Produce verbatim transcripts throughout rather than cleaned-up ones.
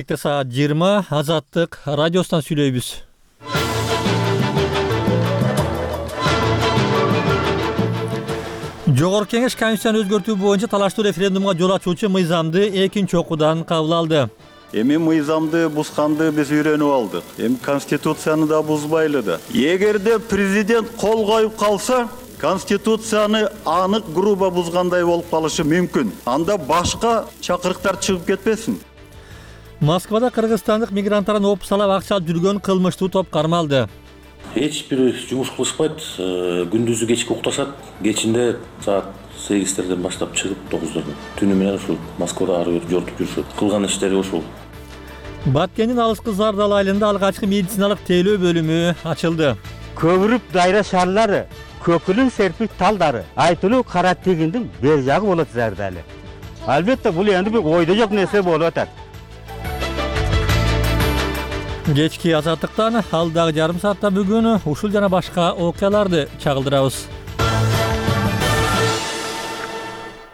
Саат жыйырма Азаттык радиосунан сүйлөйбүз. Жогорку Кеңеш Конституцияны өзгөртүү боюнча талаштуу референдумга жол ачуучу мыйзамды экинчи окуудан кабыл алды. Эми мыйзамды бузганды биз үйрөнүп алдык. Эми Конституцияны да бузбайлы да. Эгерде президент кол коюп калса, Конституцияны анык грубо бузгандай болуп калышы мүмкүн. Анда башка чакырыктар чыгып кетпесин. Москвада кыргызстандык мигранттардын оп салап акча алып жүргөн кылмыштуу топ кармалды. Эч бир жумуш кылышпайт, күндүзү кечки укташат, кечинде саат сегиздерден баштап чыгып тогуздордон түнү менен ушул Москвада ары бери жортуп жүрүшөт. Кылган иштери ушул. Баткендин алыскы Зардал айылында алгачкы медициналык тейлөө бөлүмү ачылды. Көбүрүп дайра шарлары, көкүлүн серпик талдары, айтылуу кара тегиндин бер жагы болот Зардалы. Албетте бул эми бир ойдо жок нерсе болуп атат. Кечки Азаттыктан алдагы жарым саатта бүгүн ушул жана башка окуяларды чагылдырабыз.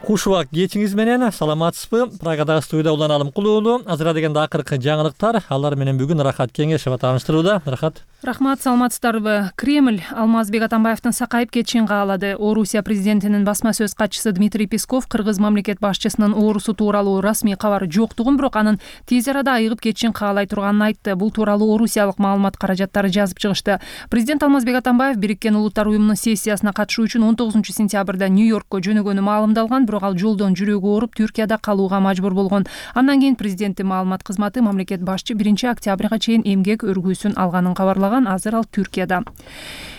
Куш убак кечиңиз менен саламатсызбы? Прагадагы студияда Улан Алымкулуу. Азыра дегенде акыркы жаңылыктар, алар менен бүгүн Рахат Кеңешова тааныштырууда. Рахат. Рахмат, саламатсыздарбы? Кремль Алмазбек Атамбаевдин сакайып кетишин каалады. Орусия президентинин басма сөз катчысы Дмитрий Песков кыргыз мамлекет башчысынын оорусу тууралуу расмий кабар жоктугун, бирок анын тез арада айыгып кетишин каалай турганын айтты. Бул тууралуу орусиялык маалымат каражаттары жазып чыгышты. Президент Алмазбек Атамбаев Бириккен Улуттар уюмунун сессиясына катышуу үчүн он тогузунчу сентябрда Нью-Йоркко жөнөгөнү маалымдалган, бирок ал жолдон жүрөгү ооруп Түркияда калууга мажбур болгон. Андан кийин президенттин маалымат кызматы мамлекет башчы биринчи октябрга чейин эмгек өргүүсүн алганын кабарлаган. Азыр ал Түркияда.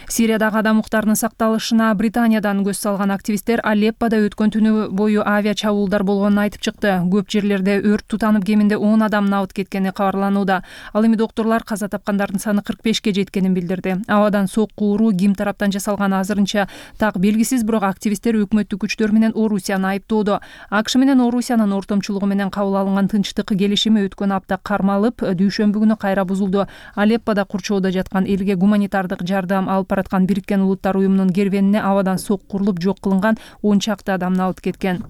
Сириядагы адам укуктарынын сакталышына Британиядан көз салган активисттер Алеппода өткөн түнү бою авиа чабуулдар болгонун айтып чыкты. Көп жерлерде өрт тутанып, кеминде он адам набыт кеткени кабарланууда. Ал эми доктурлар каза тапкандардын саны кырк бешке жеткенин билдирди. Абадан сокку уруу ким тараптан жасалганы азырынча так белгисиз, бирок активисттер өкмөттүк күчтөр менен Орусияны айыптоодо. АКШ менен Орусиянын ортомчулугу менен кабыл алынган тынчтык келишими өткөн апта кармалып, дүйшөмбү күнү кайра бузулду. Алеппода курчоодо жаткан элге гуманитардык жардам алып бараткан Бириккен Улуттар уюмунун кервенине абадан сокку урулуп жок кылынган он чакты адам набыт кеткен.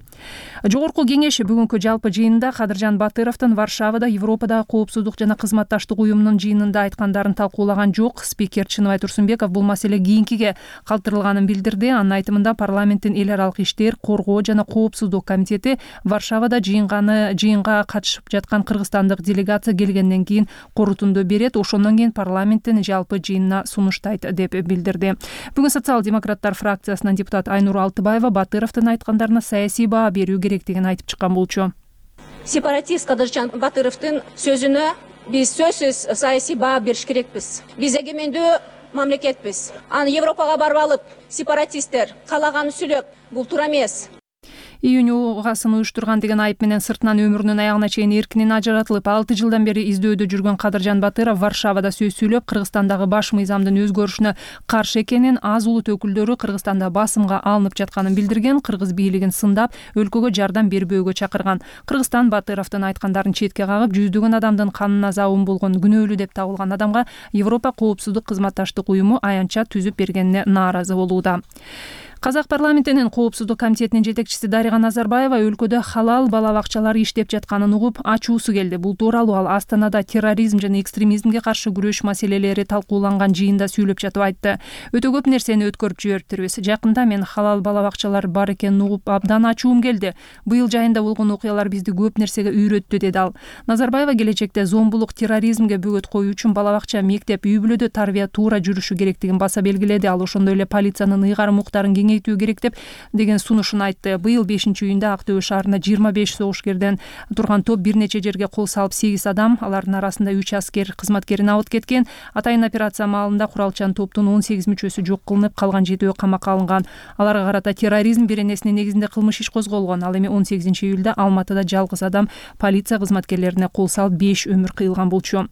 Жогорку Кеңеш бүгүнкү жалпы жыйынында Кадыржан Батыровдун Варшавада Европадагы коопсуздук жана кызматташтык уюмунун жыйынында айткандарын талкуулаган жок. Спикер Чыныбай Турсунбеков бул маселе кийинкиге калтырылганын билдирди. Анын айтымында парламенттин эл аралык иштер, коргоо жана коопсуздук комитети Варшавада жыйынганы жыйынга катышып жаткан кыргызстандык делегация келгенден кийин корутунду берет. Ошондон кийин парламенттин жалпы жыйынына сунуштайт деп билдирди. Бүгүн социал-демократтар фракциясынын депутат Айнур Алтыбаева Батыровдун айткандарына саясий баа берүү керектигин айтып чыккан болчу. Сепаратист Кадыржан Батыровдун сөзүнө биз сөзсүз саясий баа бериш керекпиз. Биз эгемендүү мамлекетпиз. Аны Европага барып алып, сепаратисттер калаган сүйлөп, бул туура эмес. Июнь угасын уюштурган деген айып менен сыртынан өмүрүнүн аягына чейин эркинен ажыратылып, алты жылдан бери издөөдө жүргөн Кадыржан Батыров Варшавада сөз сүйлөп, Кыргызстандагы баш мыйзамдын өзгөрүшүнө каршы экенин, аз улут өкүлдөрү Кыргызстанда басымга алынып жатканын билдирген, кыргыз бийлигин сындап, өлкөгө жардам бербөөгө чакырган. Кыргызстан Батыровдун айткандарын четке кагып, жүздөгөн адамдын канына заабын болгон күнөөлүү деп табылган адамга Европа коопсуздук кызматташтык уюму аянтча түзүп бергенине нааразы болууда. Казак парламентинин коопсуздук комитетинин жетекчиси Дарига Назарбаева өлкөдө халал бала бакчалары иштеп жатканын угуп, ачуусу келди. Бул тууралуу ал Астанада терроризм жана экстремизмге каршы күрөш маселелери талкууланган жыйында сүйлөп жатып айтты. Өтө көп нерсени өткөрүп жибериптирбиз. Жакында мен халал бала бакчалар бар экенин угуп, абдан ачуум келди. Быйыл жайында болгон окуялар бизди көп нерсеге үйрөттү, деди ал. Назарбаева келечекте зомбулук, терроризмге бөгөт коюу үчүн бала бакча, мектеп, үй бүлөдө тарбия туура жүрүшү керектигин баса белгиледи. Ал ошондой эле полициянын ыйгарым укуктарын кеңейтүү керек деп деген сунушун айтты. Быйыл бешинчи июнда Актөбө шаарында жыйырма беш согушкерден турган топ бир нече жерге кол салып, сегиз адам, алардын арасында үч аскер кызматкери набыт кеткен. Атайын операция маалында куралчан топтун он сегиз мүчөсү жок кылынып, калган жетөө камакка алынган. Аларга карата терроризм беренесинин негизинде кылмыш иш козголгон. Ал эми он сегизинчи июлда Алматыда жалгыз адам полиция кызматкерлерине кол салып беш өмүр кыйылган болчу.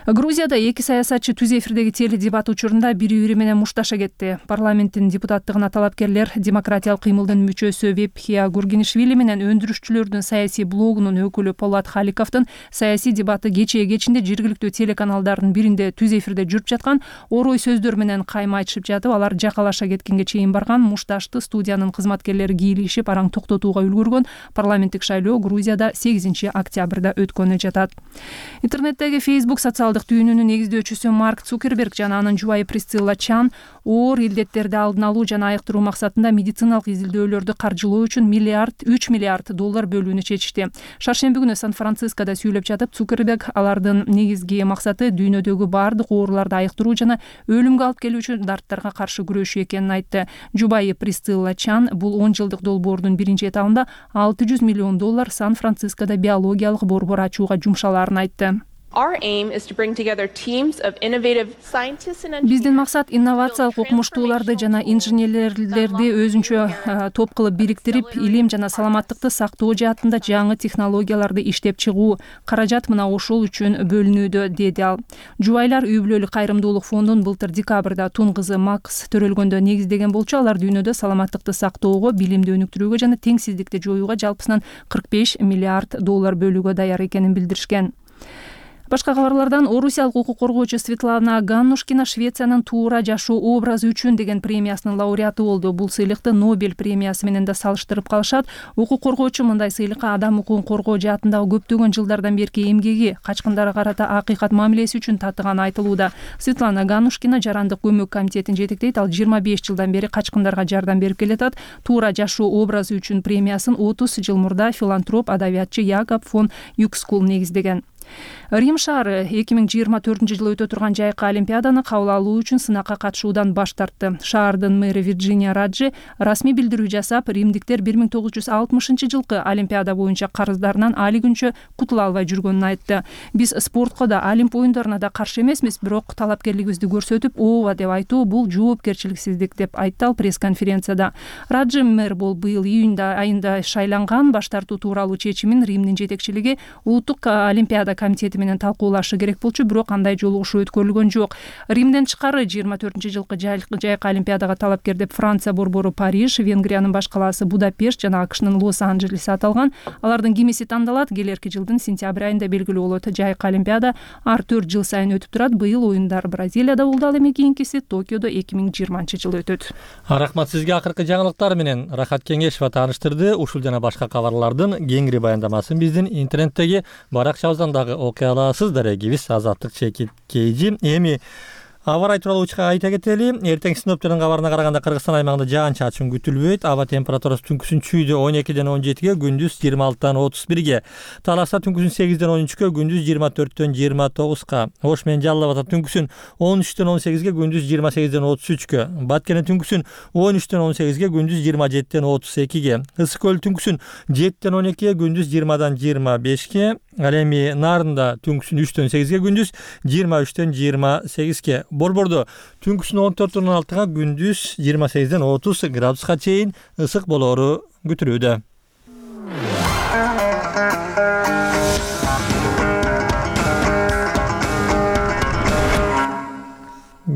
Грузияда эки саясатчы түз эфирдеги теледебат учурунда бири бири менен мушташа кетти. Парламенттин депутаттыгына талапкерлер демократиялык кыймылдын мүчөсү Вепхия Гургинишвили менен өндүрүшчүлөрдүн саясий блогунун өкүлү Полат Халиковдун саясий дебаты кечээ кечинде жергиликтүү телеканалдардын биринде түз эфирде жүрүп жаткан орой сөздөр менен кайма айтышып жатып, алар жакалаша кеткенге чейин барган. Мушташты студиянын кызматкерлери кийлишип араң токтотууга үлгүргөн. Парламенттик шайлоо Грузияда сегизинчи октябрда өткөнү жатат. Интернеттеги Facebook социалдык түйүнүнүн негиздөөчүсү Марк Цукерберг жана анын жубайы Присцилла Чан оор илдеттерди алдын алуу жана айыктыруу максатында медициналык изилдөөлөрдү каржылоо үчүн миллиард үч миллиард доллар бөлүүнү чечишти. Шаршемби күнү Сан-Францискода сүйлөп жатып, Цукерберг алардын негизги максаты дүйнөдөгү баардык ооруларды айыктыруу жана өлүмгө алып келүүчү дарттарга каршы күрөшүү экенин айтты. Жубайы Присцилла Чан бул он жылдык долбоордун биринчи этабында алты жүз миллион доллар Сан-Францискода биологиялык борбор ачууга жумшалаарын айтты. Биздин максат инновациялык окумуштууларды жана инженерлерди өзүнчө топ кылып бириктирип, илим жана саламаттыкты сактоо жаатында жаңы технологияларды иштеп чыгуу. Каражат мына ошол үчүн бөлүнүүдө, деди ал. Жубайлар үй бүлөлүк кайрымдуулук фондун былтыр декабрда тун кызы Макс төрөлгөндө негиздеген болчу. Алар дүйнөдө саламаттыкты сактоого, билимди өнүктүрүүгө жана теңсиздикти жоюуга жалпысынан кырк беш миллиард доллар бөлүүгө даяр экенин билдиришкен. Башка кабарлардан орусиялык укук коргоочу Светлана Ганнушкина Швециянын туура жашоо образы үчүн деген премиясынын лауреаты болду. Бул сыйлыкты Нобель премиясы менен да салыштырып калышат. Укук коргоочу мындай сыйлыкка адам укугун коргоо жаатындагы көптөгөн жылдардан берки эмгеги, качкындарга карата акыйкат мамилеси үчүн татыганы айтылууда. Светлана Ганнушкина жарандык көмөк комитетин жетектейт. Ал жыйырма беш жылдан бери качкындарга жардам берип келатат. Туура жашоо образы үчүн премиясын отуз жыл мурда филантроп адабиятчы Якоб фон Юкскул негиздеген. Рим шаары эки миң жыйырма төртүнчү жылы өтө турган жайкы олимпиаданы кабыл алуу үчүн сынакка катышуудан баш тартты. Шаардын мэри Вирджиния Раджи расмий билдирүү жасап, римдиктер бир миң тогуз жүз алтымышынчы жылкы олимпиада боюнча карыздарынан али күнчө кутула албай жүргөнүн айтты. Биз спортко да, Олимп оюндарына да каршы эмесмиз, бирок талапкерлигибизди көрсөтүп, ооба деп айтуу бул жоопкерчиликсиздик, деп айтты ал пресс-конференцияда. Раджи мэр бул быйыл июнь айында шайланган. Баш тартуу тууралуу чечимин Римдин жетекчилиги улуттук олимпиада комитети менен талкуулашы керек болчу, бирок андай жолугушуу өткөрүлгөн жок. Римден тышкары жыйырма төртүнчү жылкы жайкы олимпиадага талапкер деп Франция борбору Париж, Венгриянын баш калаасы Будапешт жана АКШнын Лос-Анджелес аталган. Алардын кимиси тандалат. Келерки жылдын сентябрь айында белгилүү болот. Жайкы олимпиада ар төрт жыл сайын өтүп турат. Быйыл оюндар Бразилияда болду, ал эми кийинкиси Токиодо эки миң жыйырманчы жылы өтөт. Рахмат сизге. Акыркы жаңылыктар менен Рахат Кеңешова тааныштырды. Ушул жана башка кабарлардын кеңири баяндамасын биздин интернеттеги баракчабыздан дагы окуя аласыз. Дарегибиз Азаттык Чекит Кейжи. Эми аба ырайы тууралуу учка айта кетели. Эртең синоптиктин кабарына караганда Кыргызстан аймагында жаан-чачын күтүлбөйт. Аба температурасы түнкүсүн чүйдө он экиден он жетиге, күндүз жыйырма алтыдан отуз бирге. Таласта түнкүсүн сегизден он үчкө, күндүз жыйырма төрттөн жыйырма тогузга. Ош менен Жалал Абадта түнкүсүн он үчтөн он сегизге, күндүз жыйырма сегизден отуз үчкө. Баткенде түнкүсүн он үчтөн он сегизге, күндүз жыйырма жетиден отуз экиге. Ысык көл түнкүсүн жеттен он экиге, күндүз жыйырмадан жыйырма бешке. Ал эми Нарында түнкүсүн үчтөн сегизге, күндүз жыйырма үчтөн жыйырма сегизге. Борбордо түнкүсүн он төрттөн он алтыга, күндүз жыйырма сегизден отуз градуска чейин ысык болоору күтүлүүдө.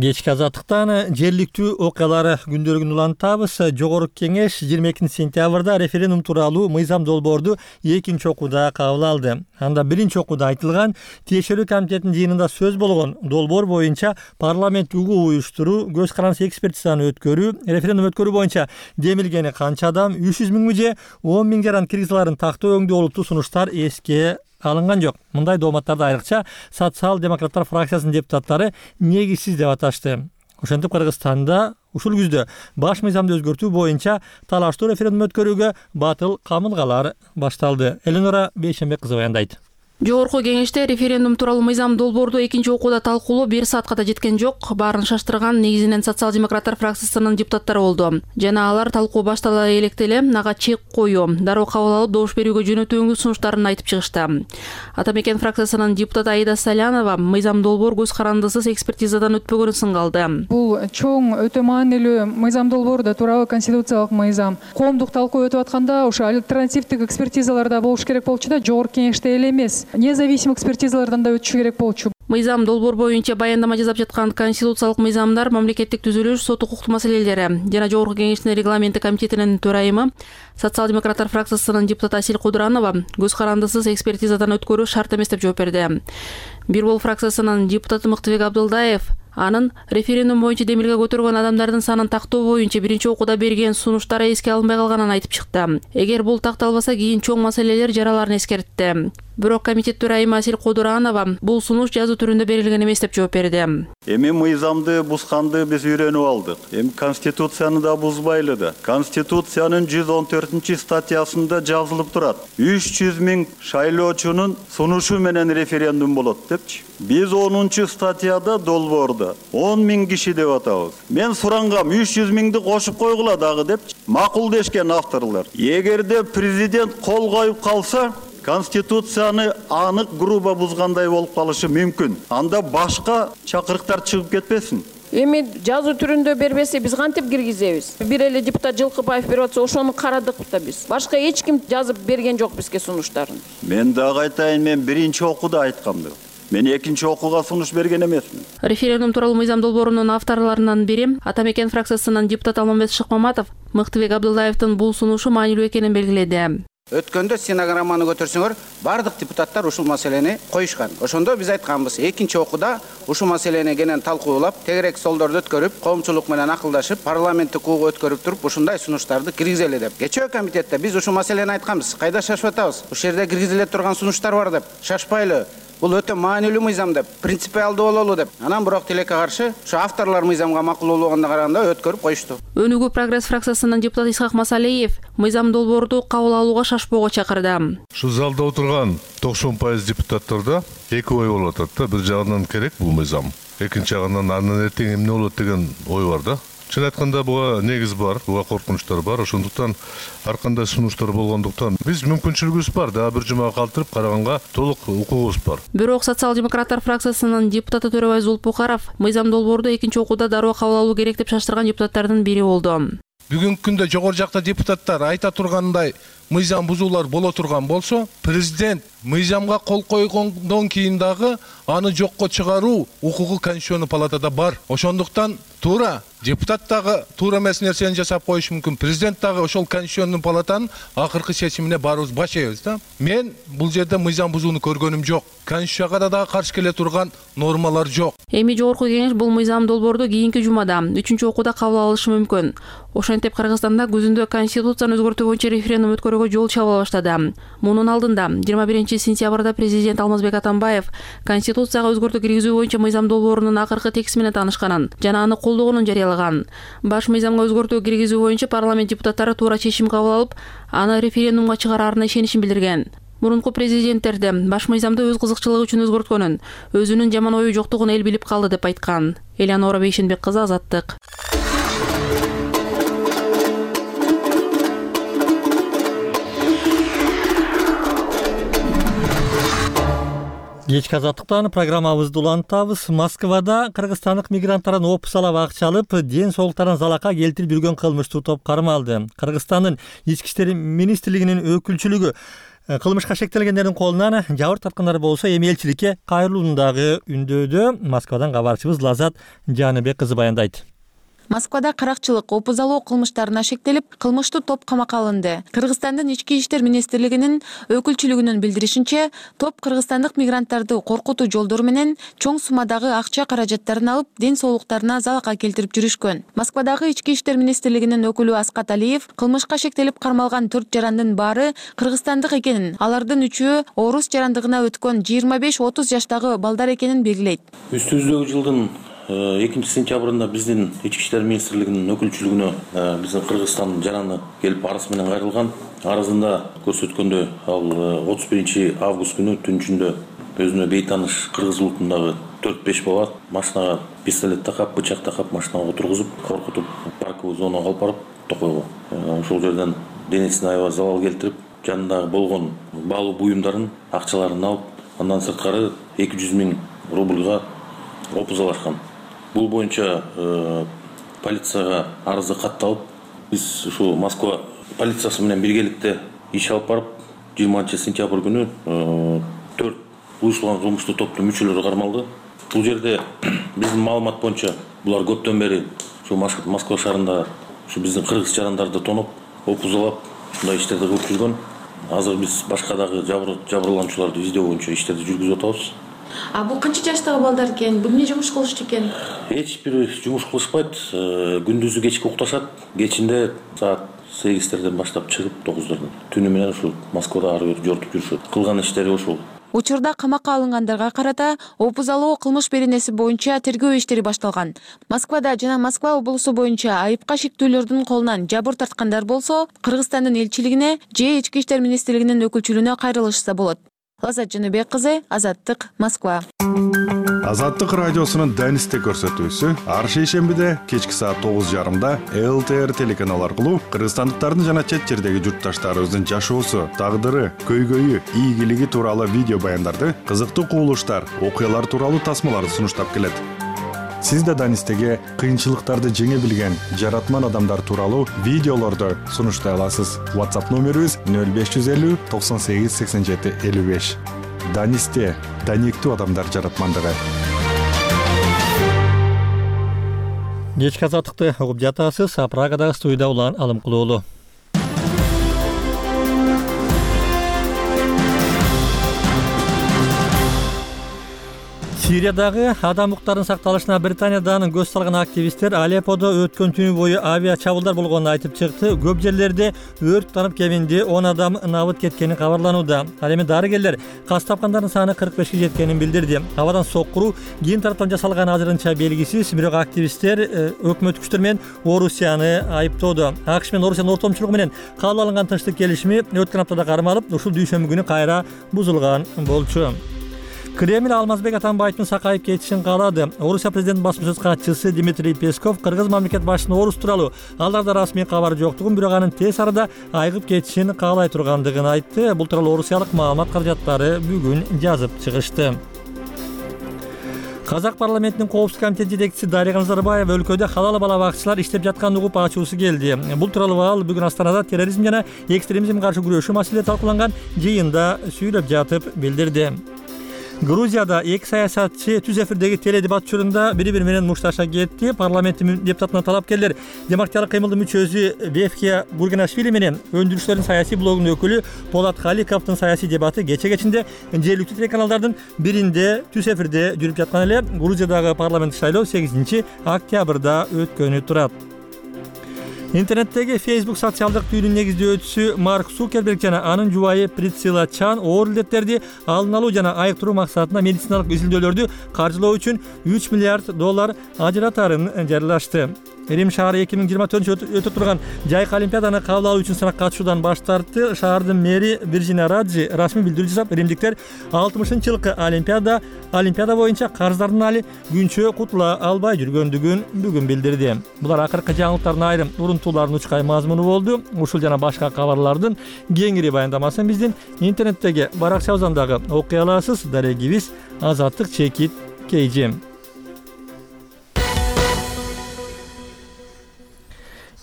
Кечки Азаттыктан жергиликтүү окуялар күндөлүгүн улантабыз. Жогорку кеңеш жыйырма экинчи сентябрда референдум тууралуу мыйзам долбоорду экинчи окууда кабыл алды. Анда биринчи окууда айтылган тиешелүү комитеттин жыйынында сөз болгон долбоор боюнча парламент угуу уюштуруу, көз карандысыз экспертизаны өткөрүү, референдум өткөрүү боюнча демилгени канча адам, үч жүз миңби же он миң жаран киргизаларын тактоо өңдүү олуттуу сунуштар эске алынган жок. Мындай дооматтарды айрыкча социал-демократтар фракциясынын депутаттары негизсиз деп аташты. Ошентип Кыргызстанда ушул күздө баш мыйзамды өзгөртүү боюнча талаштуу референдум өткөрүүгө батыл камылгалар башталды. Эленора Бейшембек кызы баяндайт. Жогорку кеңеште референдум тууралуу мыйзам долбоорду экинчи окууда талкуулоо бир саатка да жеткен жок. Баарын шаштырган негизинен социал-демократтар фракциясынын депутаттары болду. Жана алар талкуу баштала электе эле ага чек коюу, дароо кабыл алып добуш берүүгө жөнөтүүңүз сунуштарын айтып чыгышты. Атамекен фракциясынын депутаты Аида Салянова мыйзам долбоор көз карандысыз экспертизадан өтпөгөнүн сынгалды. Бул чоң өтө маанилүү мыйзам долбоору да тууралуу конституциялык мыйзам. Коомдук талкуу өтүп атканда ошо альтернативдик экспертизалар да болуш керек болчу да, жогорку кеңеште эле эмес. Независимый экспертизалардан да өтүшү керек болчу. Мыйзам долбоор боюнча баяндама жасап жаткан конституциялык мыйзамдар, мамлекеттик түзүлүш, сот укуктуу маселелери жана Жогорку Кеңештин регламенти комитетинин төрайымы, социал-демократтар фракциясынын депутаты Асель Кудуранова көз карандысыз экспертизадан өткөрүү шарт эмес деп жооп берди. Бир Бол фракциясынын депутаты Мыктыбек Абдылдаев анын референдум боюнча демилге көтөргөн адамдардын санын тактоо боюнча биринчи окууда берген сунуштары эске алынбай калганын айтып чыкты. Эгер бул такталбаса, кийин чоң маселелер жараларын эскертти. Бирок комитет төрайымы Асель Кудуранова бул сунуш жазуу түрүндө берилген эмес деп жооп берди. Эми мыйзамды бузганды биз үйрөнүп алдык. Эми конституцияны да бузбайлы да. Конституциянын жүз он төртүнчү статьясында жазылып турат. үч жүз миң шайлоочунун сунушу менен референдум болот депчи. Биз онунчу статьяда долбоордо он миң киши деп атабыз. Мен сурангам үч жүз миңди кошуп койгула дагы депчи. Макул дешкен авторлор. Эгерде президент кол коюп калса, Конституцияны анык грубо бузгандай болуп калышы мүмкүн. Анда башка чакырыктар чыгып кетпесин. Эми жазуу түрүндө бербесе биз кантип киргизебиз? Бир эле депутат Жылкыбаев берип атса, ошону карадык да биз. Башка эч ким жазып берген жок бизге сунуштарын. Мен дагы айтайын, мен биринчи окууда айткам деп. Мен экинчи окууга сунуш берген эмесмин. Референдум тууралуу мыйзам долбоорунун авторлорунан бири Атамекен фракциясынын депутаты Алмамбет Шыкмаматов Мыктыбек Абдылдаевдин бул сунушу маанилүү экенин белгиледи. Өткөндө стенограмманы көтөрсөңөр, бардык депутаттар ушул маселени коюшкан. Ошондо биз айтканбыз, экинчи окууда ушул маселени кенен талкуулап, тегерек столдорду өткөрүп, коомчулук менен акылдашып, парламенттик куугу өткөрүп туруп, ушундай сунуштарды киргизели деп. Кечээ комитетте биз ушул маселени айтканбыз. Кайда шашып атабыз? Ушул жерде киргизиле турган сунуштар бар деп. Шашпайлы. Бул өтө маанилүү мыйзам деп, принципиалдуу бололу деп. Анан бирок тилекке каршы, ушу авторлор мыйзамга макул болгонуна караганда өткөрүп коюшту. Өнүгүү прогресс фракциясынын депутаты Исхак Масалиев мыйзам долбоорду кабыл алууга шашпоого чакырды. Ушу залда отурган токсон пайыз депутаттарда эки ой болуп атат да. Бир жагынан керек бул мыйзам. Экинчи жагынан андан эртең эмне болот деген ой бар да. Чын айтканда буга негиз бар, буга коркунучтар бар. Ошондуктан ар кандай сунуштар болгондуктан биз мүмкүнчүлүгүбүз бар, дагы бир жумага калтырып караганга толук укугубуз бар. Бирок социал-демократтар фракциясынын депутаты Төрөбай Зулпукаров мыйзам долбоорду экинчи окууда дароо кабыл алуу керек деп шаштырган депутаттардын бири болду. Бүгүнкү күндө жогору жакта депутаттар айта тургандай мыйзам бузуулар боло турган болсо, президент мыйзамга кол койгондон кийин дагы аны жокко чыгаруу укугу Конституционный палатада бар. Ошондуктан туура депутат дагы туура эмес нерсени жасап коюшу мүмкүн. Президент дагы ошол Конституционный палатанын акыркы чечимине барыбыз башайбыз да. Мен бул жерде мыйзам бузууну көргөнүм жок. Конституцияга да дагы каршы келе турган нормалар жок. Эми Жогорку Кеңеш бул мыйзам долбоорду кийинки жумада үчүнчү окууда кабыл алышы мүмкүн. Ошентип Кыргызстанда күзүндө Конституцияны өзгөртүү боюнча референдум өткөрүүгө жол чаба баштады. Мунун алдында жыйырма биринчи сентябрда президент Алмазбек Атамбаев Конституцияга өзгөртүү киргизүү боюнча мыйзам долбоорунун акыркы текстиси менен таанышканын жана аны колдогонун жарыялаган. Баш мыйзамга өзгөртүү киргизүү боюнча парламент депутаттары туура чечим кабыл алып, аны референдумга чыгараарына ишенишин билдирген. Мурунку президенттерде баш мыйзамды өз кызыкчылыгы үчүн өзгөрткөнүн, өзүнүн жаман ою жоктугун эл билип калды деп айткан. Элеонора Бейшенбек кызы, Азаттык. Кечки Азаттыктан программабызды улантабыз. Москвада кыргызстандык мигранттардан опус алып акча алып, ден соолуктарын залакка келтирип жүргөн кылмыштуу топ кармалды. Кыргызстандын ички иштер министрлигинин өкүлчүлүгү кылмышка шектелгендердин колунан жабыр тарткандар болсо, эми элчиликке кайрылуундагы үндөөдө. Москвадан кабарчыбыз Лазат Жаныбек кызы баяндайт. Москвада каракчылык, опус алуу кылмыштарына шектелип, кылмыштуу топ камакка алынды. Кыргызстандын ички иштер министрлигинин өкүлчүлүгүнүн билдиришинче, топ кыргызстандык мигранттарды коркутуу жолдору менен чоң суммадагы акча каражаттарын алып, ден соолуктарына залакка келтирип жүрүшкөн. Москвадагы ички иштер министрлигинин өкүлү Аскат Алиев кылмышка шектелип кармалган төрт жарандын баары кыргызстандык экенин, алардын үчөө орус жарандыгына өткөн жыйырма беш отуз жаштагы балдар экенин белгилейт. Үстүбүздөгү жылдын экинчи сентябрында биздин ички иштер министрлигинин өкүлчүлүгүнө биздин Кыргызстан жараны келип арыз менен кайрылган. Арызында көрсөткөндөй, ал отуз биринчи август күнү түн ичинде өзүнө бейтаныш кыргыз улутундагы төрт беш бала машинага пистолет такап, бычак такап машинага отургузуп, коркутуп, парковый зонага алып барып токойгон. Ошол жерден денесине аябай залал келтирип, жанындагы болгон баалуу буюмдарын, акчаларын алып, андан сырткары эки жүз миң рубльга опус алышкан. Бул боюнча э, полицияга арызы катталып, биз ушу Москва полициясы менен биргеликте иш алып барып, жыйырманчы сентябрь күнү төрт уюштурулган кылмыштуу топтун мүчөлөрү кармалды. Бул жерде биздин маалымат боюнча булар көптөн бери ушу Москва шаарында ушу биздин кыргыз жарандарды тоноп, опузалап, мындай иштерди кылып жүргөн. Азыр биз башка дагы жабырлануучуларды издөө боюнча иштерди жүргүзүп атабыз. А бул канча жаштагы балдар экен? Бул эмне жумуш кылышты экен? Эч бир жумуш кылышпайт. Күндүзү кечки укташат, кечинде саат сегиздерден баштап чыгып тогуздордон түнү менен ушул Москвада ары бери жортуп жүрүшөт. Кылган иштери ошол. Учурда камакка алынгандарга карата опузалоо кылмыш беренеси боюнча тергөө иштери башталган. Москвада жана Москва облусу боюнча айыпка шектүүлөрдүн колунан жабыр тарткандар болсо, Кыргызстандын элчилигине же Ички иштер министрлигинин өкүлчүлүгүнө кайрылышса болот. Лазат Жаныбек кызы, Азаттык, Москва. Азаттык радиосунун Данисте көрсөтүүсү ар шейшембиде кечки саат тогуз жарымда эл тэ эр телеканал аркылуу кыргызстандыктардын жана чет жердеги журтташтарыбыздын жашоосу, тагдыры, көйгөйү, ийгилиги тууралуу видео баяндарды, кызыктуу кубулуштар, окуялар тууралуу тасмаларды сунуштап келет. Сиз да Данистеге кыйынчылыктарды жеңе билген жаратман адамдар тууралуу видеолорду сунуштай аласыз. WhatsApp номерибиз нөл беш жүз элүү токсон сегиз сексен жети элүү беш. Данисте даниктүү адамдар жаратмандыгы. Кечки азаттыкты угуп жатасыз. Прагадагы студияда Улан Алымкулуулу. Сириядагы адам укуктарынын сакталышына Британиядан көз салган активисттер Алепподо өткөн түнү бою авиа чабуулдар болгонун айтып чыкты. Көп жерлерде өрт танып кеминде он адам набыт кеткени кабарланууда. Ал эми дарыгерлер кас тапкандардын саны кырк бешке жеткенин билдирди. Абадан соккуруу кийин тараптан жасалган азырынча белгисиз, бирок активисттер өкмөт күчтөр менен Орусияны айыптоодо. АКШ менен Орусиянын ортомчулугу менен кабыл алынган тынчтык келишими өткөн аптада кармалып, ушул дүйшөмбү күнү кайра бузулган болчу. Кремль Алмазбек Атамбаевдин сакайып кетишин каалады. Орусия президентинин басма сөз катчысы Дмитрий Песков кыргыз мамлекет башчысынын орус тууралуу аларда расмий кабар жоктугун, бирок анын тез арада айыгып кетишин каалай тургандыгын айтты. Бул тууралуу орусиялык маалымат каражаттары бүгүн жазып чыгышты. Казак парламентинин коопсуздук комитети жетекчиси Дарига Назарбаева өлкөдө халал бала бакчылар иштеп жатканын угуп ачуусу келди. Бул тууралуу ал бүгүн Астанада терроризм жана экстремизмге каршы күрөшүү маселеси талкууланган жыйында сүйлөп жатып билдирди. Грузияда эки саясатчы түз эфирдеги теледебат учурунда бири-бири менен мушташа кетти. Парламенттин депутатына талапкерлер демократиялык кыймылдын мүчөсү Бефкия Гургенашвили менен өндүрүшчүлөрдүн саясий блогунун өкүлү Полат Халиковдун саясий дебаты кече кечинде жергиликтүү телеканалдардын биринде түз эфирде жүрүп жаткан эле. Грузиядагы парламенттик шайлоо сегизинчи октябрда өткөнү турат. Интернеттеги Facebook социалдык түйүнүн негиздөөчүсү Марк Цукерберг жана анын жубайы Присцилла Чан оор илдеттерди алдын алуу жана айыктыруу максатында медициналык изилдөөлөрдү каржылоо үчүн үч миллиард доллар ажыратарын жарыялашты. Рим шаары эки миң жыйырма төртүнчү өтө турган жайкы олимпиаданы кабыл алуу үчүн сынакка катышуудан баш тартты. Шаардын мэри Виржиния Раджи расмий билдирүү жасап, римдиктер алтымышынчы жылкы олимпиада олимпиада боюнча карыздардын али күнчө кутула албай жүргөндүгүн бүгүн билдирди. Булар акыркы жаңылыктардын айрым урунтуулардын учкай мазмуну болду. Ушул жана башка кабарлардын кеңири баяндамасын биздин интернеттеги баракчабыздагы окуй аласыз. Дарегибиз Азаттык чекит Кейжим.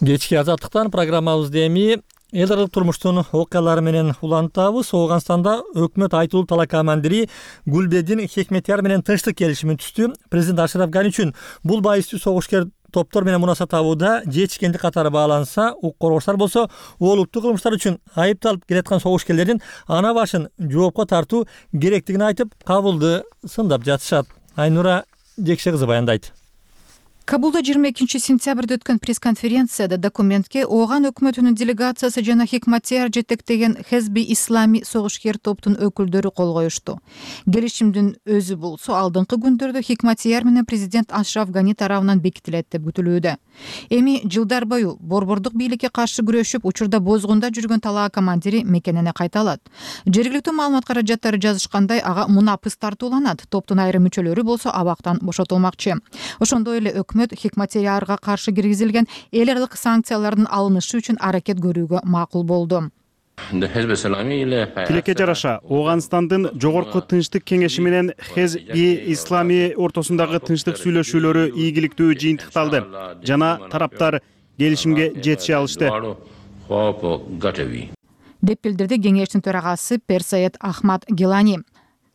Кечки азаттыктан программабызды эми эл аралык турмуштун окуялары менен улантабыз. Ооганстанда өкмөт айтылуу талакамандири Гулбедин Хекметияр менен тынчтык келишимин түздү. Президент Ашраф Гани үчүн бул байыстуу согушкер топтор менен мунаса табууда жетишкендик катары бааланса, укук коргоочулар болсо олуттуу кылмыштар үчүн айыпталып келаткан согушкерлердин ана башын жоопко тартуу керектигин айтып, кабылды сындап жатышат. Айнура Жекше кызы баяндайт. Кабулда жыйырма экинчи сентябрда өткөн пресс-конференцияда документке Ооган өкмөтүнүн делегациясы жана Хекматияр жетектеген Хезби Ислами согушкер топтун өкүлдөрү кол коюшту. Келишимдин өзү болсо алдыңкы күндөрдө Хекматияр менен президент Ашраф Гани тарабынан бекитилет деп күтүлүүдө. Эми жылдар бою борбордук бийликке каршы күрөшүп, учурда бозгунда жүргөн талаа командири мекенине кайталат. Жергиликтүү маалымат каражаттары жазышкандай, ага мунапыс тартууланат. Топтун айрым мүчөлөрү болсо абактан бошотулмакчы. Ошондой эле өкмөт Хекматиярга каршы киргизилген эл аралык санкциялардын алынышы үчүн аракет көрүүгө макул болду. Тилекке жараша, Ооганстандын жогорку тынчтык кеңеши менен Хезби Ислами ортосундагы тынчтык сүйлөшүүлөрү ийгиликтүү жыйынтыкталды жана тараптар келишимге жетише алышты деп билдирди кеңештин төрагасы Персаед Ахмад Гелани.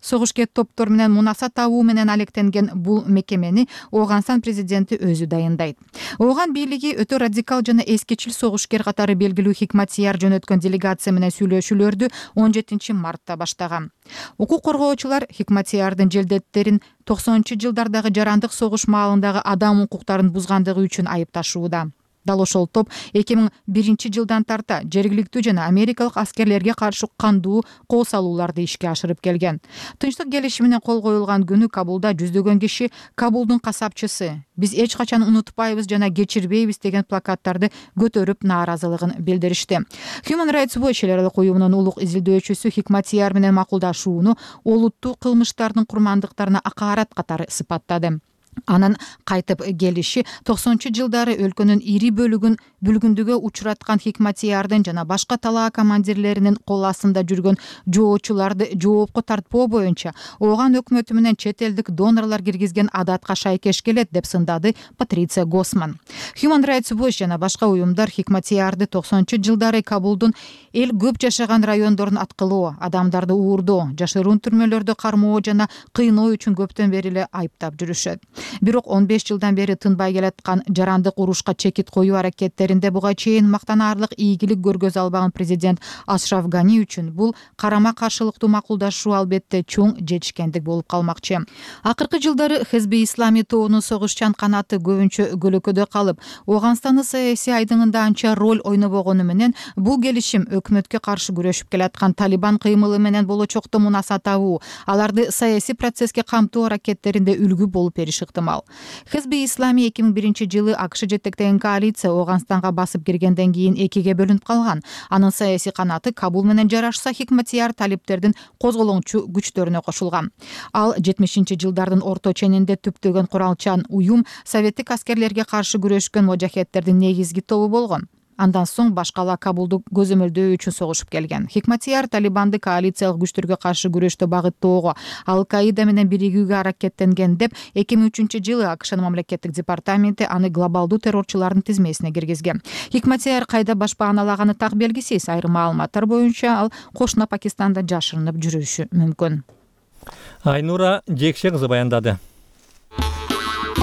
согушкер топтор менен мунаса табуу менен алектенген бул мекемени Ооганстан президенти өзү дайындайт. Ооган бийлиги өтө радикал жана эскечил согушкер катары белгилүү Хикматияр жөнөткөн делегация менен сүйлөшүүлөрдү он жетинчи мартта баштаган. Укук коргоочулар Хикматиярдын желдеттерин токсонунчу жылдардагы жарандык согуш маалындагы адам укуктарын бузгандыгы үчүн айыпташууда. Дал ошол топ эки миң биринчи жылдан тарта жергиликтүү жана америкалык аскерлерге каршы кандуу кол салууларды ишке ашырып келген. Тынчтык келишимине кол коюлган күнү Кабулда жүздөгөн киши «Кабулдун касапчысы, биз эч качан унутпайбыз жана кечирбейбиз» деген плакаттарды көтөрүп нааразылыгын билдиришти. Human Rights Watch эл аралык уюмунун улук изилдөөчүсү Хикматияр менен макулдашууну олуттуу кылмыштардын курмандыктарына акаарат катары сыпаттады. Анын кайтып келиши токсонунчу жылдары өлкөнүн ири бөлүгүн бүлгүндүгө учураткан Хикматиярдын жана башка талаа командирлеринин кол астында жүргөн жоочуларды жоопко тартпоо боюнча Ооган өкмөтү менен чет элдик донорлор киргизген адатка шайкеш келет деп сындады Патриция Госман. Human Rights Watch жана башка уюмдар Хикматиярды токсонунчу жылдары Кабулдун эл көп жашаган райондорун аткылоо, адамдарды уурдоо, жашыруун түрмөлөрдө кармоо жана кыйноо үчүн көптөн бери эле айыптап жүрүшөт. Бирок он беш жылдан бери тынбай келаткан жарандык урушка чекит коюу аракеттеринде буга чейин мактанаарлык ийгилик көргөзө албаган президент Ашраф Гани үчүн бул карама каршылыктуу макулдашуу албетте чоң жетишкендик болуп калмакчы. Акыркы жылдары Хезби Ислами тобунун согушчан канаты көбүнчө көлөкөдө калып, Ооганстандын саясий айдыңында анча роль ойнобогону менен бул келишим өкмөткө каршы күрөшүп келаткан Талибан кыймылы менен болочокто мунаса табуу, аларды саясий процесске камтоо аракеттеринде үлгү болуп бериши ыктымал. Хезби Ислами эки миң биринчи жылы АКШ жетектеген коалиция Ооганстанга басып киргенден кийин экиге бөлүнүп калган. Анын саясий канаты Кабул менен жарашса, Хикматияр талиптердин козголоңчу күчтөрүнө кошулган. Ал жетимишинчи жылдардын орто ченинде түптөгөн куралчан уюм советтик аскерлерге каршы күрөшкөн мужахедтердин негизги тобу болгон. Андан соң башкала Кабулду көзөмөлдөө үчүн согушуп келген. Хикматияр Талибанды коалициялык күчтөргө каршы күрөштө багыттоого, Ал-Каида менен биригүүгө аракеттенген деп эки миң үчүнчү жылы АКШнын мамлекеттик департаменти аны глобалдуу террорчулардын тизмесине киргизген. Хикматияр кайда башпааналаганы так белгисиз. Айрым маалыматтар боюнча ал кошуна Пакистанда жашырынып жүрүшү мүмкүн. Айнура Жекше кызы баяндады.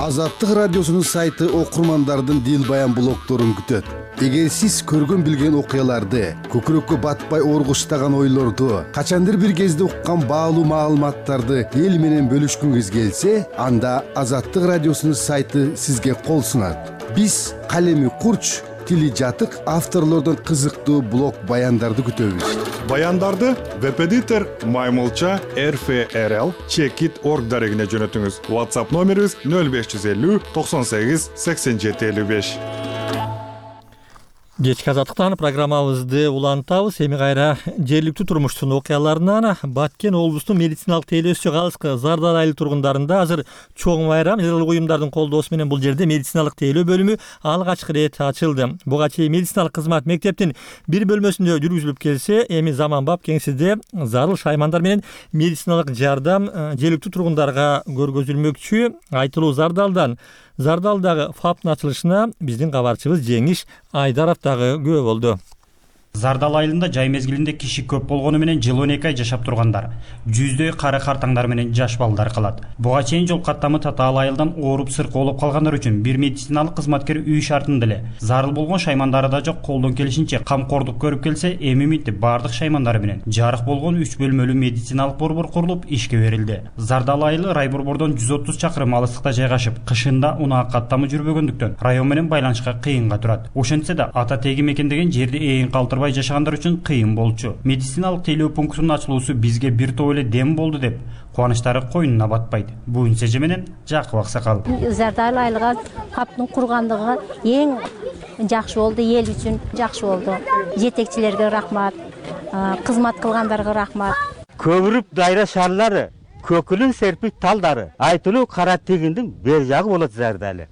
Азаттык радиосунун сайты окурмандардын дил баян блогторун күтөт. Эгер сиз көргөн билген окуяларды, көкүрөккө батпай оргуштаган ойлорду, качандыр бир кезде уккан баалуу маалыматтарды эл менен бөлүшкүңүз келсе, анда Азаттык радиосунун сайты сизге кол сунат. Биз калеми курч, тили жатык авторлордон кызыктуу блог баяндарды күтөбүз. Баяндарды веб-эдитор Маймылча эр эф эр эл чекит точка орг дарегине жөнөтүңүз. WhatsApp номерибиз нөл беш жүз элүү токсон сегиз сексен жети элүү беш. Кечки азаттыктан программабызды улантабыз. Эми кайра жергиликтүү турмуштун окуяларынан Баткен облустун медициналык тейлөөсү Калыскы Зардал айыл тургундарында азыр чоң байрам. Элдик уюмдардын колдоосу менен бул жерде медициналык тейлөө бөлүмү алгачкы ирет ачылды. Буга чейин медициналык кызмат мектептин бир бөлмөсүндө жүргүзүлүп келсе, эми заманбап кеңседе зарыл шаймандар менен медициналык жардам жергиликтүү тургундарга көргөзүлмөкчү. Айтылуу Зардалдан Зардалдагы ФАПтын ачылышына биздин кабарчыбыз Жеңиш Айдаров дагы күбө болду. Зардал айылында жай мезгилинде киши көп болгону менен жыл он эки ай жашап тургандар, жүздөй кары картаңдар менен жаш балдар калат. Буга чейин жол каттамы татаал айылдан ооруп сыркы болуп калгандар үчүн бир медициналык кызматкер үй шартында эле зарыл болгон шаймандары да жок, колдон келишинче камкордук көрүп келсе, эми минтип баардык шаймандары менен жарык болгон үч бөлмөлүү медициналык борбор курулуп ишке берилди. Зардал айылы рай борбордон жүз отуз чакырым алыстыкта жайгашып, кышында унаа каттамы жүрбөгөндүктөн район менен байланышка кыйынга турат. Ошентсе да ата теги мекендеген жерди ээн калтыр жашагандар үчүн кыйын болчу. Медициналык тейлөө пунктунун ачылуусу бизге бир топ эле дем болду деп кубанычтары коюнуна батпайт. Буюн Сеже менен Жакып Аксакал. Зардал айылга ФАПтын кургандыгы эң жакшы болду, эл үчүн жакшы болду. Жетекчилерге рахмат, кызмат кылгандарга рахмат. Көбүрүп дайра шарлары, көкүлүн серпик талдары, айтылуу кара тегиндин бер жагы болот Зардалы.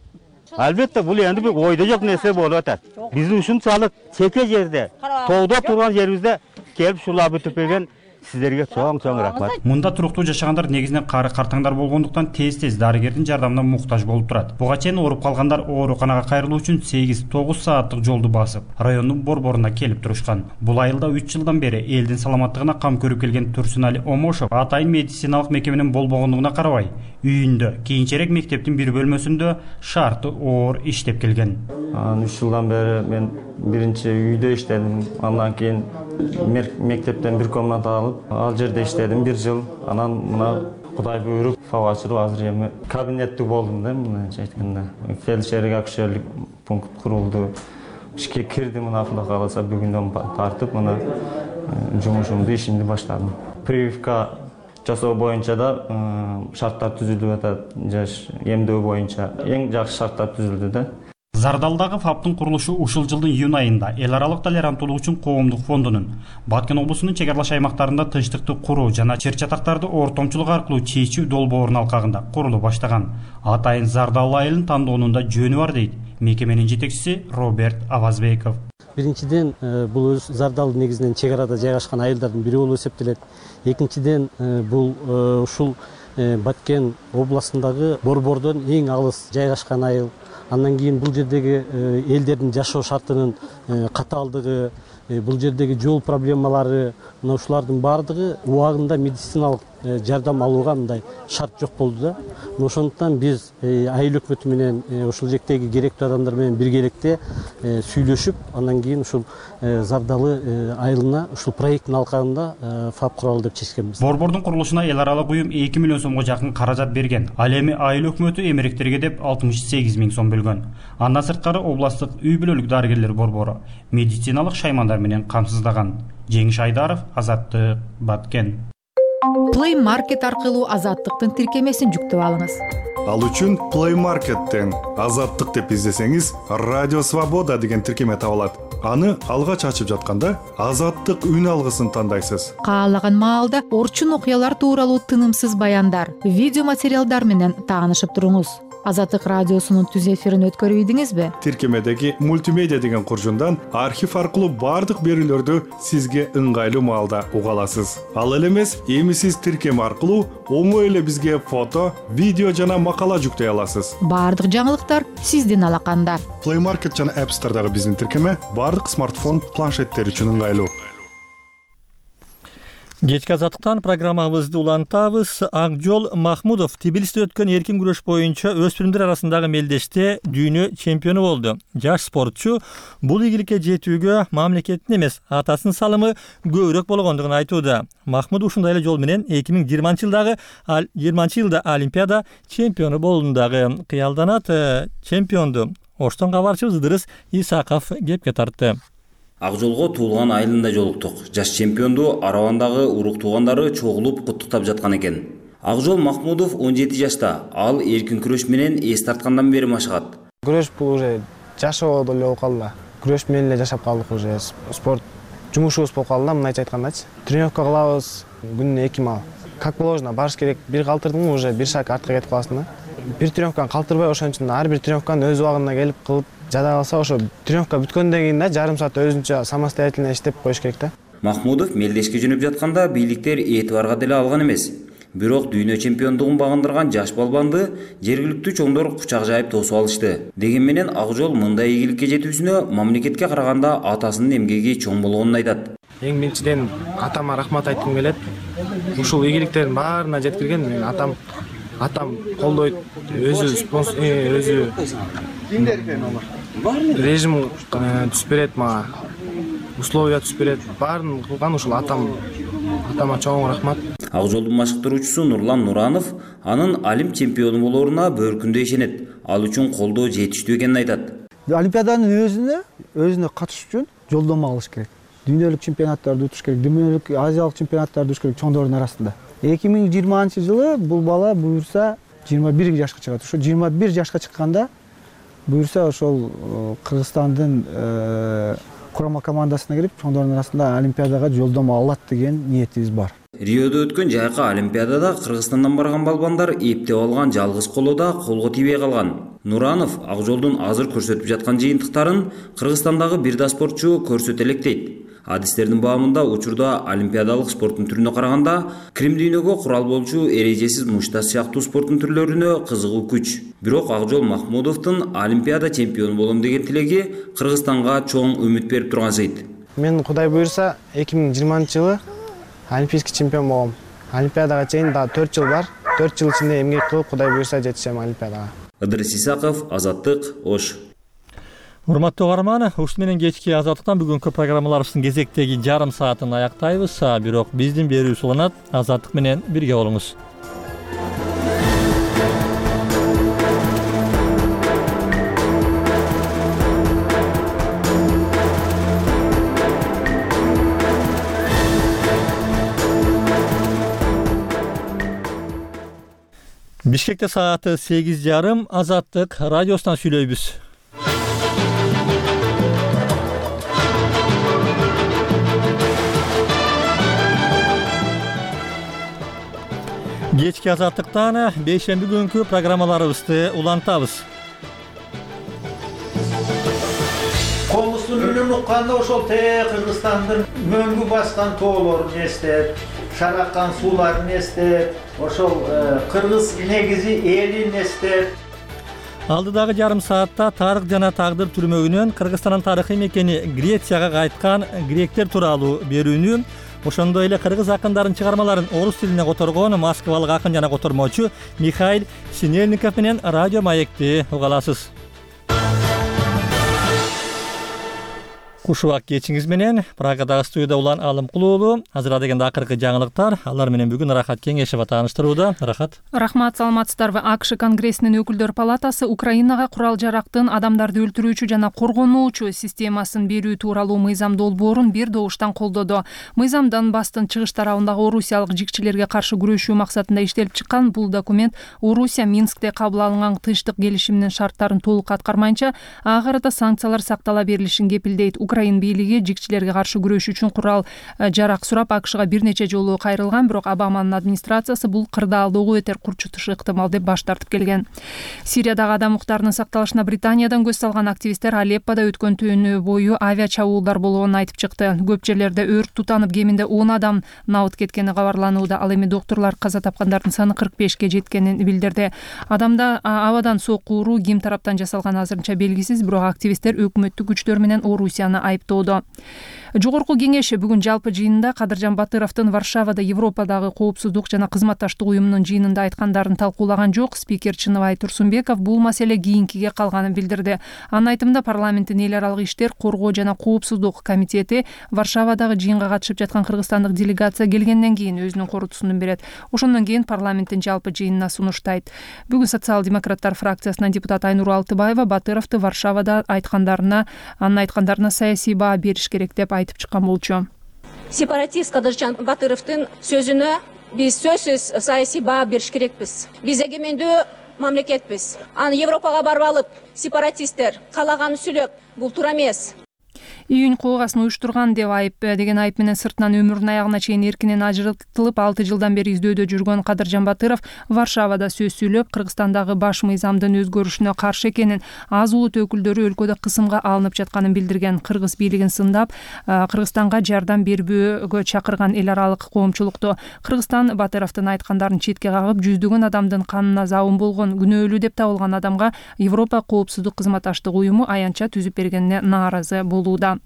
Албетте бул энди бир ойдо жок нерсе болуп атат. Биздин ушунчалык чеке жерде, тоодо турган жерибизде келип шулап өтүп келген сиздерге чоң чоң рахмат. Мында туруктуу жашагандар негизинен кары картаңдар болгондуктан тез-тез дарыгердин жардамына муктаж болуп турат. Буга чейин ооруп калгандар ооруканага кайрылуу үчүн сегиз тогуз сааттык жолду басып, райондун борборуна келип турушкан. Бул айылда үч жылдан бери элдин саламаттыгына кам көрүп келген Турсунали Омошов атайын медициналык мекеменин болбогондугуна карабай, үйүндө, кийинчерээк мектептин бир бөлмөсүндө шарты оор иштеп келген. үч жылдан бери мен биринчи үйдө иштедим, андан кийин мектептен бир комната алып, ал жерде иштедим бир жыл. Анан мына Кудай буйруп, фаб ачылып, азыр эми кабинеттик болдум да, мындайча айтканда. Фельдшерлик акушерлик пункт курулду. Ишке кирдим, мына Кудай кааласа бүгүндөн тартып, мына жумушумду, ишимди баштадым. Прививка жасоо боюнча да шарттар түзүлүп атат, жаш эмдөө боюнча эң жакшы шарттар түзүлдү да. Зардалдагы фабтын курулушу ушул жылдын июнь айында эл аралык толеранттуулук үчүн коомдук фондунун Баткен облусунун чек аралаш аймактарында тынчтыкты куруу жана чыр чатактарды ортомчулук аркылуу чечүү долбоорунун алкагында курулуп баштаган. Атайын зардалуу айылын тандоонун да жөнү бар дейт мекеменин жетекчиси Роберт Авазбеков. Биринчиден, бул өз зардал негизинен чек арада жайгашкан айылдардын бири болуп эсептелет. Экинчиден, бул ушул Баткен областындагы борбордон эң алыс жайгашкан айыл. Андан кийин бул жердеги элдердин жашоо шартынын катаалдыгы, бул жердеги жол проблемалары, мына ушулардын баардыгы убагында медициналык жардам алууга мындай шарт жок болду да. Ошондуктан биз айыл өкмөтү менен ушул жектеги керектүү адамдар менен биргеликте сүйлөшүп, андан кийин ушул зардалы айылына ушул проекттин алкагында фаб куралы деп чечкенбиз. Борбордун курулушуна эл аралык уюм эки миллион сомго жакын каражат берген. Ал эми айыл өкмөтү эмеректерге деп алтымыш сегиз миң сом бөлгөн. Андан сырткары областтык үй бүлөлүк дарыгерлер борбору медициналык шаймандар менен камсыздаган. Жеңиш Айдаров, Азаттык, Баткен. Play Market аркылуу Азаттыктын тиркемесин жүктөп алыңыз. Ал үчүн Play Market'тен Азаттык деп издесеңиз, Радио Свобода деген тиркеме табылат. Аны алгач ачып жатканда Азаттык үн алгысын тандайсыз. Каалаган маалда орчун окуялар тууралуу тынымсыз баяндар, видео материалдар менен таанышып туруңуз. Азаттык радиосунун түз эфирин өткөрүп ийдиңизби? Тиркемедеги мультимедиа деген куржундан архив аркылуу бардык берүүлөрдү сизге ыңгайлуу маалда уга аласыз. Ал эле эмес, эми сиз тиркеме аркылуу оңой эле бизге фото, видео жана макала жүктөй аласыз. Бардык жаңылыктар сиздин алаканда. Play Market жана App Store'дагы биздин тиркеме бардык смартфон, планшеттер үчүн ыңгайлуу. Кечки Азаттыктан программабызды улантабыз. Акжол Махмудов Тбилисиде өткөн эркин күрөш боюнча өспүрүмдөр арасындагы мелдеште дүйнө чемпиону болду. Жаш спортчу бул ийгиликке жетүүгө мамлекеттин эмес, атасынын салымы көбүрөөк болгондугун айтууда. Махмуд ушундай эле жол менен эки миң жыйырманчы жылдагы жыйырманчы жылда Олимпиада чемпиону болдум дагы. Кыялданат чемпионду Оштон кабарчыбыз Ыдырыс Исаков кепке тартты. Акжолго туулган айылында жолуктук. Жаш чемпионду Арабандагы урук туугандары чогулуп куттуктап жаткан экен. Акжол Махмудов он жети жашта. Ал эркин күрөш менен эс тарткандан бери машыгат. Күрөш бул уже жашоо эле болуп калды. Күрөш менен эле жашап калдык уже. Спорт жумушубуз болуп калды, мындайча айткандачы. Тренировка кылабыз, күнүнө эки мал. Как положено, барыш керек. Бир калтырдың уже бир шаг артка кетип каласың да. Бир тренировканы калтырбай, ошон үчүн ар бир тренировканы өз убагында келип кылып жада калса, ошо тренировка бүткөндөн кийин да жарым саат өзүнчө самостоятельно иштеп коюш керек да. Махмудов мелдешке жөнөп жатканда бийликтер этибарга деле алган эмес. Бирок дүйнө чемпиондугун багындырган жаш балбанды жергиликтүү чоңдор кучак жайып тосуп алышты. Деген менен Акжол мындай ийгиликке жетүүсүнө мамлекетке караганда атасынын эмгеги чоң болгонун айтат. Эң биринчиден атама рахмат айткым келет. Ушул ийгиликтердин баарына жеткирген мен атам атам колдойт, өзү спонсор, өзү режим түзүп берет мага, условия түзүп берет. Баарын кылган ушул атам. Атама чоң рахмат. Акжолдун машыктыруучусу Нурлан Нуранов анын Олимп чемпиону болоруна бөөркүндө ишенет. Ал үчүн колдоо жетиштүү экенин айтат. Олимпиаданын өзүнө өзүнө катышуу үчүн жолдомо алыш керек. Дүйнөлүк чемпионаттарды утуш керек, дүйнөлүк азиялык чемпионаттарды утуш керек чоңдордун арасында. эки миң жыйырманчы жылы бул бала буюрса жыйырма бир жашка чыгат. Ошо жыйырма бир жашка чыкканда буюрса ошол Кыргызстандын курама командасына кирип чоңдордун арасында Олимпиадага жолдомо алат деген ниетибиз бар. Риодо өткөн жайкы Олимпиадада Кыргызстандан барган балбандар эптеп алган жалгыз колода колго тийбей калган. Нуранов Акжолдун азыр көрсөтүп жаткан жыйынтыктарын Кыргызстандагы бир да спортчу көрсөтө элек дейт. Адистердин баамында учурда олимпиадалык спорттун түрүнө караганда Крим дүйнөгө курал болчу эрежесиз мушташ сыяктуу спорттун түрлөрүнө кызыгуу күч. Бирок Акжол Махмудовдун олимпиада чемпиону болом деген тилеги Кыргызстанга чоң үмүт берип турган сейт. Мен Кудай буйрса эки миң жыйырманчы жылы олимпийский чемпион болом. Олимпиадага чейин да төрт жыл бар. төрт жыл ичинде эмгек кылып Кудай буйрса жетишем олимпиадага. Ыдырыс Исаков, Азаттык, Ош. Урматтуу угарман, ушун менен кечки Азаттыктан бүгүнкү программаларыбыздын кезектеги жарым саатын аяктайбыз. Бирок биздин берүүбүз уланат. Азаттык менен бирге болуңуз. Бишкекте сааты сегиз жарым. Азаттык радиосунан сүйлөйбүз. Кечки Азаттыктан бейшемби күнкү программаларыбызды улантабыз. Комустун үнүн укканда ошол те Кыргызстандын мөңгү баскан тоолорун эстеп, шараккан сууларын эстеп, ошол кыргыз негизи элин эстеп. Алдыдагы жарым саатта тарых жана тагдыр түрмөгүнөн Кыргызстандын тарыхый мекени Грецияга кайткан гректер тууралуу берүүнү, ошондой эле кыргыз акындарын чыгармаларын орус тилине которгон москвалык акын жана котормочу Михаил Синельников менен радио маекти уга аласыз. Кушубак кечиңиз менен Прагадагы студияда Улан Алымкулуулу. Азыр дегенде акыркы жаңылыктар. Алар менен бүгүн Рахат Кеңешева тааныштырууда. Рахат. Рахмат, саламатсыздарбы? АКШ Конгрессинин өкүлдөр палатасы Украинага курал жарактын адамдарды өлтүрүүчү жана коргонуучу системасын берүү тууралуу мыйзам долбоорун бир добуштан колдоду. Мыйзам Донбасстын чыгыш тарабындагы орусиялык жикчилерге каршы күрөшүү максатында иштелип чыккан. Бул документ Орусия Минскте кабыл алынган тынчтык келишиминин шарттарын толук аткармайынча ага карата санкциялар сактала берилишин кепилдейт. Украин бийлиги жикчилерге каршы күрөшүү үчүн курал жарак сурап АКШга бир нече жолу кайрылган, бирок Обаманын администрациясы бул кырдаалдоого өтер курчутушу ыктымал деп баш тартып келген. Сириядагы адам укуктарынын сакталышына Британиядан көз салган активисттер Алеппода өткөн түнү бою авиа чабуулдар болгонун айтып чыкты. Көп жерлерде өрт тутанып, кеминде он адам набыт кеткени кабарланууда. Ал эми доктурлар каза тапкандардын саны кырк бешке жеткенин билдирди. Адамда абадан сокку уруу ким тараптан жасалганы азырынча белгисиз, бирок активисттер өкмөттүк күчтөр менен Орусияны айыптоодо. Жогорку кеңеш бүгүн жалпы жыйынында Кадыржан Батыровдун Варшавада Европадагы коопсуздук жана кызматташтык уюмунун жыйынында айткандарын талкуулаган жок. Спикер Чыныбай Турсунбеков бул маселе кийинкиге калганын билдирди. Анын айтымында парламенттин эл аралык иштер, коргоо жана коопсуздук комитети Варшавадагы жыйынга катышып жаткан кыргызстандык делегация келгенден кийин өзүнүн корутусун берет. Ошондон кийин парламенттин жалпы жыйынына сунуштайт. Бүгүн социал-демократтар фракциясынан депутат Айнур Алтыбаева Батыровду Варшавада айткандарына, анын айткандарына саясий баа бериш керек деп айтып чыккан болчу. Сепаратист Кадыржан Батыровдун сөзүнө биз сөзсүз саясий баа бериш керекпиз. Биз эгемендүү мамлекетпиз. Аны Европага барып алып, сепаратисттер каалаганын сүйлөп, бул туура эмес. Июнь коогасын уюштурган деп айып деген айып менен сыртынан өмүрүнүн аягына чейин эркинен ажыртылып, алты жылдан бери издөөдө жүргөн Кадыржан Батыров Варшавада сөз сүйлөп, Кыргызстандагы баш мыйзамдын өзгөрүшүнө каршы экенин, аз улут өкүлдөрү өлкөдө кысымга алынып жатканын билдирген. Кыргыз бийлигин сындап, Кыргызстанга жардам бербөөгө чакырган эл аралык коомчулукту Кыргызстан Батыровдун айткандарын четке кагып, жүздөгөн адамдын канына забын болгон, күнөөлүү деп табылган адамга Европа коопсуздук кызматташтык уюму аянтча түзүп бергенине нааразы болууда.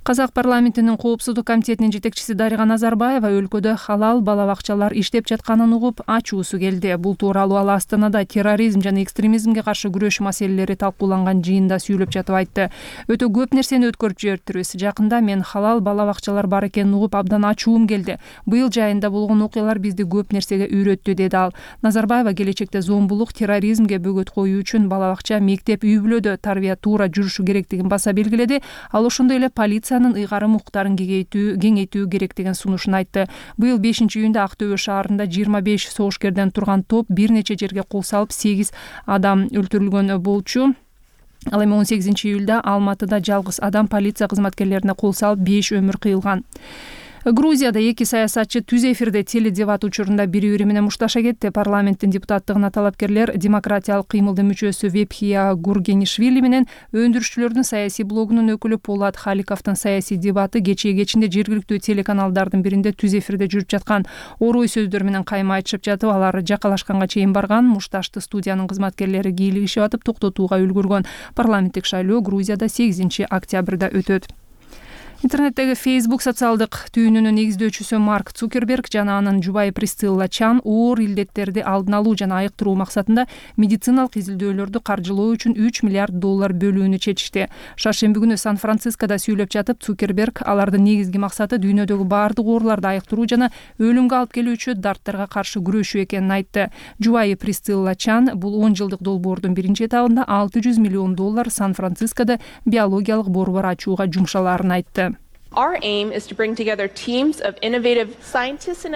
Казак парламентинин коопсуздук комитетинин жетекчиси Дарига Назарбаева өлкөдө халал бала бакчалар иштеп жатканын угуп ачуусу келди. Бул тууралуу ал Астанада терроризм жана экстремизмге каршы күрөш маселелери талкууланган жыйында сүйлөп жатып айтты. Өтө көп нерсени өткөрүп жиберптирбиз. Жакында мен халал бала бакчалар бар экенин угуп абдан ачуум келди. Быйыл жайында болгон окуялар бизди көп нерсеге үйрөттү, деди ал. Назарбаева келечекте зомбулук, терроризмге бөгөт коюу үчүн бала бакча, мектеп, үй бүлөдө тарбия туура жүрүшү керектигин баса белгиледи. Ал ошондой эле полиция ыйгарым укуктарын кеңейтүү кеңейтүү керек деген сунушун айтты. Быйыл бешинчи июнда Ак Төбө шаарында жыйырма беш согушкерден турган топ бир нече жерге кол салып, сегиз адам өлтүрүлгөн болчу. Ал эми он сегизинчи июлда Алматыда жалгыз адам полиция кызматкерлерине кол салып, беш өмүр кыйылган. Грузияда эки саясатчы түз эфирде теледебат учурунда бири бири менен мушташа кетти. Парламенттин депутаттыгына талапкерлер демократиялык кыймылдын мүчөсү Вепхия Гургенишвили менен өндүрүшчүлөрдүн саясий блогунун өкүлү Полат Халиковдун саясий дебаты кечээ кечинде жергиликтүү телеканалдардын биринде түз эфирде жүрүп жаткан. Орой сөздөр менен кайма айтышып жатып, алар жакалашканга чейин барган. Мушташты студиянын кызматкерлери кийлигишип атып токтотууга үлгүргөн. Парламенттик шайлоо Грузияда сегизинчи октябрда өтөт. Интернеттеги Facebook социалдык түйүнүнүн негиздөөчүсү Марк Цукерберг жана анын жубайы Присцилла Чан оор илдеттерди алдын алуу жана айыктыруу максатында медициналык изилдөөлөрдү каржылоо үчүн үч миллиард доллар бөлүүнү чечишти. Шаршемби күнү Сан-Францискодо сүйлөп жатып, Цукерберг алардын негизги максаты дүйнөдөгү баардык ооруларды айыктыруу жана өлүмгө алып келүүчү дарттарга каршы күрөшүү экенин айтты. Жубайы Присцилла Чан бул он жылдык долбоордун биринчи этабында алты жүз миллион доллар Сан-Францискодо биологиялык борбор ачууга жумшалаарын айтты.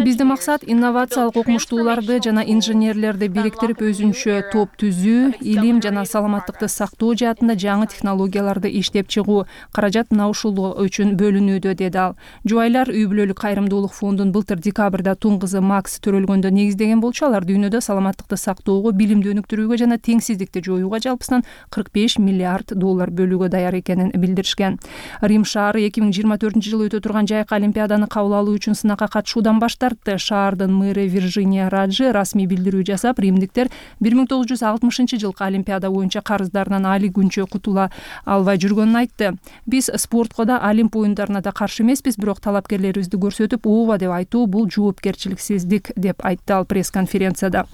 Биздин максат инновациялык окумуштууларды жана инженерлерди бириктирип өзүнчө топ түзүү, илим жана саламаттыкты сактоо жаатында жаңы технологияларды иштеп чыгуу. Каражат мына ушул үчүн бөлүнүүдө, деди ал. Жубайлар үй бүлөлүк кайрымдуулук фондун былтыр декабрда тун кызы Макс төрөлгөндө негиздеген болчу. Алар дүйнөдө саламаттыкты сактоого, билимди өнүктүрүүгө жана теңсиздикти жоюуга жалпысынан кырк беш миллиард доллар бөлүүгө даяр экенин билдиришкен. Рим шаары эки миң жыйырма төртүнчү жылы өтө турган жайкы олимпиаданы кабыл алуу үчүн сынакка катышуудан баш тартты. Шаардын мэрі Виржиния Раджи расмий билдирүү жасап, римдиктер бир миң тогуз жүз алтымышынчы жылкы олимпиада боюнча карыздарынан али күнчө кутула албай жүргөнүн айтты. Биз спортко да, Олимп оюндарына да каршы эмеспиз, бирок талапкерлерибизди көрсөтүп, ооба деп айтуу бул жоопкерчиликсиздик, деп айтты ал пресс-конференцияда.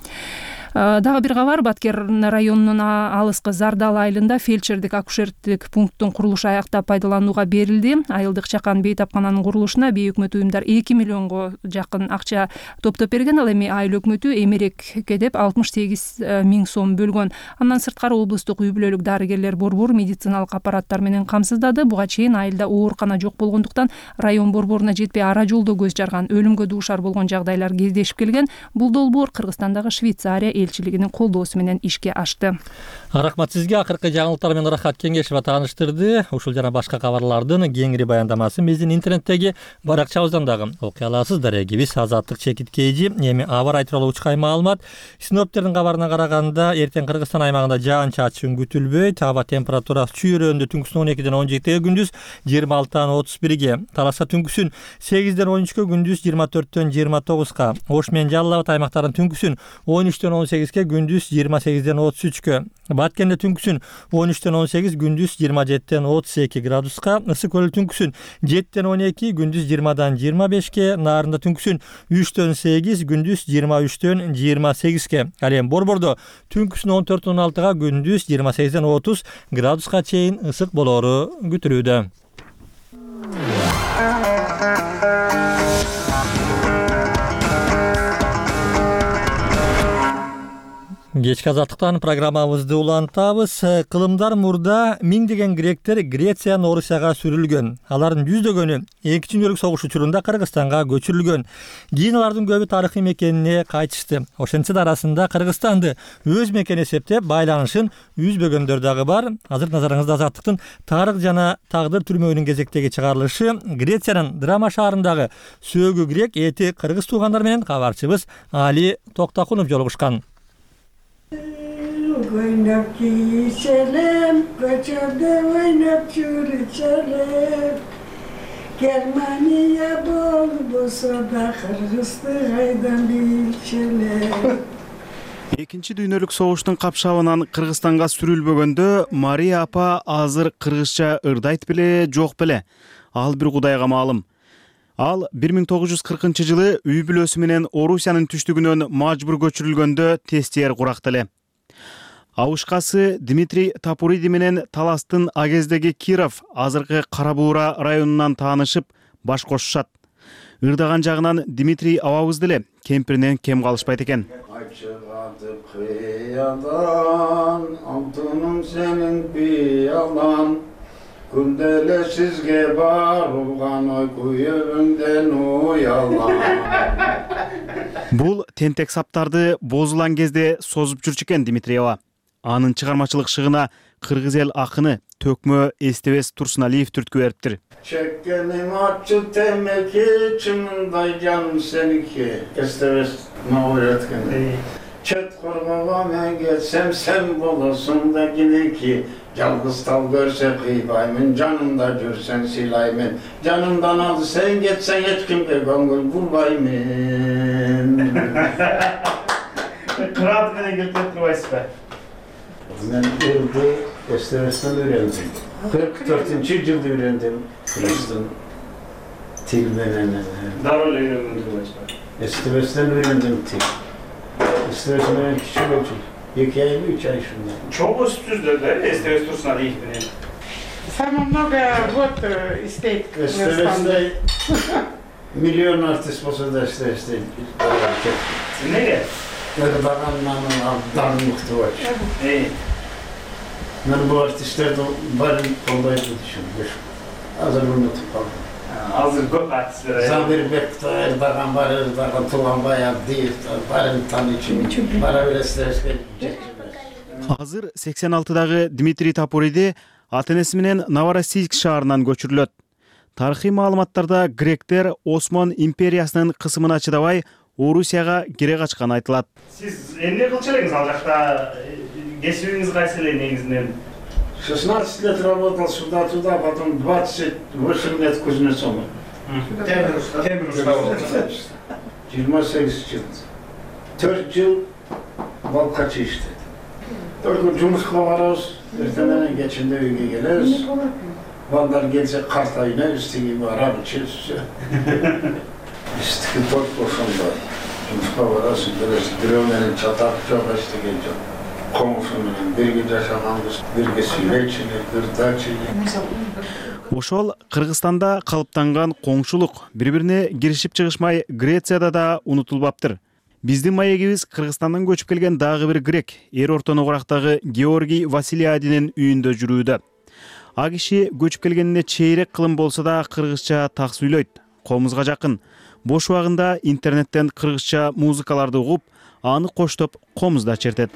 Дагы бир кабар, Баткер районунун алыскы Зардал айылында фельдшердик акушердик пункттун курулушу аяктап пайдаланууга берилди. Айылдык чакан бейтапкананын курулушуна бейөкмөт уюмдар эки миллионго жакын акча топтоп берген. Ал эми айыл өкмөтү Эмерекке деп алтымыш сегиз миң сом бөлгөн. Андан сырткары облустук үй бүлөлүк дарыгерлер борбору медициналык аппараттар менен камсыздады. Буга чейин айылда оорукана жок болгондуктан район борборуна жетпей ара жолдо көз жарган, өлүмгө дуушар болгон жагдайлар кездешип келген. Бул долбоор Кыргызстандагы Швейцария элчилигинин колдоосу менен ишке ашты. Рахмат сизге. Акыркы жаңылыктар менен Рахат Кеңешова тааныштырды. Ушул жана башка кабарлардын кеңири баяндамасын биздин интернеттеги баракчабыздан дагы окуй аласыздар. Эгибиз Азаттык чекит кейжи. Эми аба ырайы тууралуу учкай маалымат. Синоптиктердин кабарына караганда, эртең Кыргызстан аймагында жаан чачын күтүлбөйт. Аба температурасы чүйрөндө түнкүсүн он экиден он жетиге, күндүз жыйырма алтыдан отуз бирге, Таласа түнкүсүн сегизден он үчкө, күндүз жыйырма төрттөн жыйырма тогузга, Ош менен Жалал Абад аймактарынын түнкүсүн он үчтөн он сегизге, күндүз жыйырма сегизден отуз үчкө, Баткенде түнкүсүн он үчтөн он сегиз, күндүз жыйырма жетиден отуз эки градуска, Ысык көл түнкүсүн жетиден он эки, күндүз жыйырмадан жыйырма бешке, Нарында түнкүсүн үчтөн сегиз, күндүз жыйырма үчтөн жыйырма сегизге. Ал эми Борбордо түнкүсүн он төрттөн он алтыга, күндүз жыйырма сегизден отуз градуска чейин ысык болоору күтүлүүдө. Кечки Азаттыктан программабызды улантабыз. Кылымдар мурда миңдеген гректер Грециядан Орусияга сүрүлгөн. Алардын жүздөгөнү экинчи дүйнөлүк согуш учурунда Кыргызстанга көчүрүлгөн. Кийин алардын көбү тарыхый мекенине кайтышты. Ошентсе да арасында Кыргызстанды өз мекени эсептеп байланышын үзбөгөндөр дагы бар. Азыр назарыңызда Азаттыктын тарых жана тагдыр түрмөгүнүн кезектеги чыгарылышы. Грециянын Драма шаарындагы сөөгү грек эти кыргыз туугандар менен кабарчыбыз Али Токтакунов жолугушкан. Oynap geçelim, koçada oynap çürüçelim. Germaniya bol bolsa da Kırgızstaydan bilçelim. Экинчи дүйнөлүк согуштун капшабынан Кыргызстанга сүрүлбөгөндө Мария апа азыр кыргызча ырдайт беле, жок беле? Ал бир Кудайга маалым. Ал бир миң тогуз жүз кыркынчы жылы үй бүлөсү менен Орусиянын түштүгүнөн мажбур көчүрүлгөндө тестиер куракты эле. Абышкасы Дмитрий Тапуриди менен Таластын агездеги Киров, азыркы Кара Буура районунан таанышып баш кошушат. Ырдаган жагынан Дмитрий абабыз деле кемпиринен кем калышпайт экен. Чыгатып кыядан, алтыным сенин пиялан, күнделе сизге барылган ой күйөбүңдөн уялан. Бул тентек саптарды бозулан кезде созуп жүрчү экен Дмитриева. анын чыгармачылык шыгына кыргыз эл акыны Төкмө Эстебес Турсуналиев түрткү бериптир. Çekkenim açı temeki çımınday canım seniki. Estemez mağur etken. Çet korkama men geçsem sen bolasın da gide ki. Yalgız tal görse kıybayımın canımda görsen silayımın. Canımdan aldı sen geçsen hiç kimde gongul bulbayımın. Kıraat beni götürüp durmayız be. Ben Irdı Estemez'den öğrendim. kırk dördüncü yılda öğrendim. Kıbrıs'tan tilmenen. Darul öğrendim. Estemez'den öğrendim til. Estemez'den öğrendim küçük ölçü. İki ay, üç ay şundan. Çok üstüzde de Estemez Tursunaliyev benim. Самое много вот стоит. Estemez'de milyon artist olsa da Estemez'de. Nereye? Erdoğan'ın darlıktı var. İyi. Ben bu artistler de barın olaydı düşünmüş. Hazır unutup kaldım. Hazır көп artistler. Zamir Bekta, Erdoğan var, Erdoğan Tuğan Bayağı değil, barın tanı için. Bara bile stresle Азыр сексен алтыдагы Дмитрий Тапуриди ата-энеси менен Новороссийск шаарынан көчүрүлөт. Тарыхый маалыматтарда гректер Осман империясынын кысымына чыдабай Орусияга кире качканы айтылат. Siz эмне кылчу элеңиз ал жакта? Кесибиңиз кайсы эле негизинен? шестнадцать лет работал сюда-туда, потом двадцать восемь лет кузнецом. Темир уста. жыйырма сегиз жыл. төрт жыл балкачы иштедим. Только жумушка барабыз, эртеңден кечинде үйгө келебиз. Балдар келсе картайына истиги барабыз, чечсе. Истиги бот ошондой. Жумушка барасың, келесиң, бирөө менен чатак жок, эчтеке жок. Комушу менен бирге жашаганбыз, бирге сүйлөйчү, бир дачы. Ошол Кыргызстанда калыптанган коңшулук бири-бирине киришип чыгышмай Грецияда да унутулбаптыр. Биздин маегибиз Кыргызстандан көчүп келген дагы бир грек, эр ортоногурактагы Георгий Василиадинин үйүндө жүрүүдө. А киши көчүп келгенине чейрек кылым болсо да кыргызча так сүйлөйт, колумузга жакын. Бош убагында интернеттен кыргызча музыкаларды угуп, аны коштоп комузда чертет.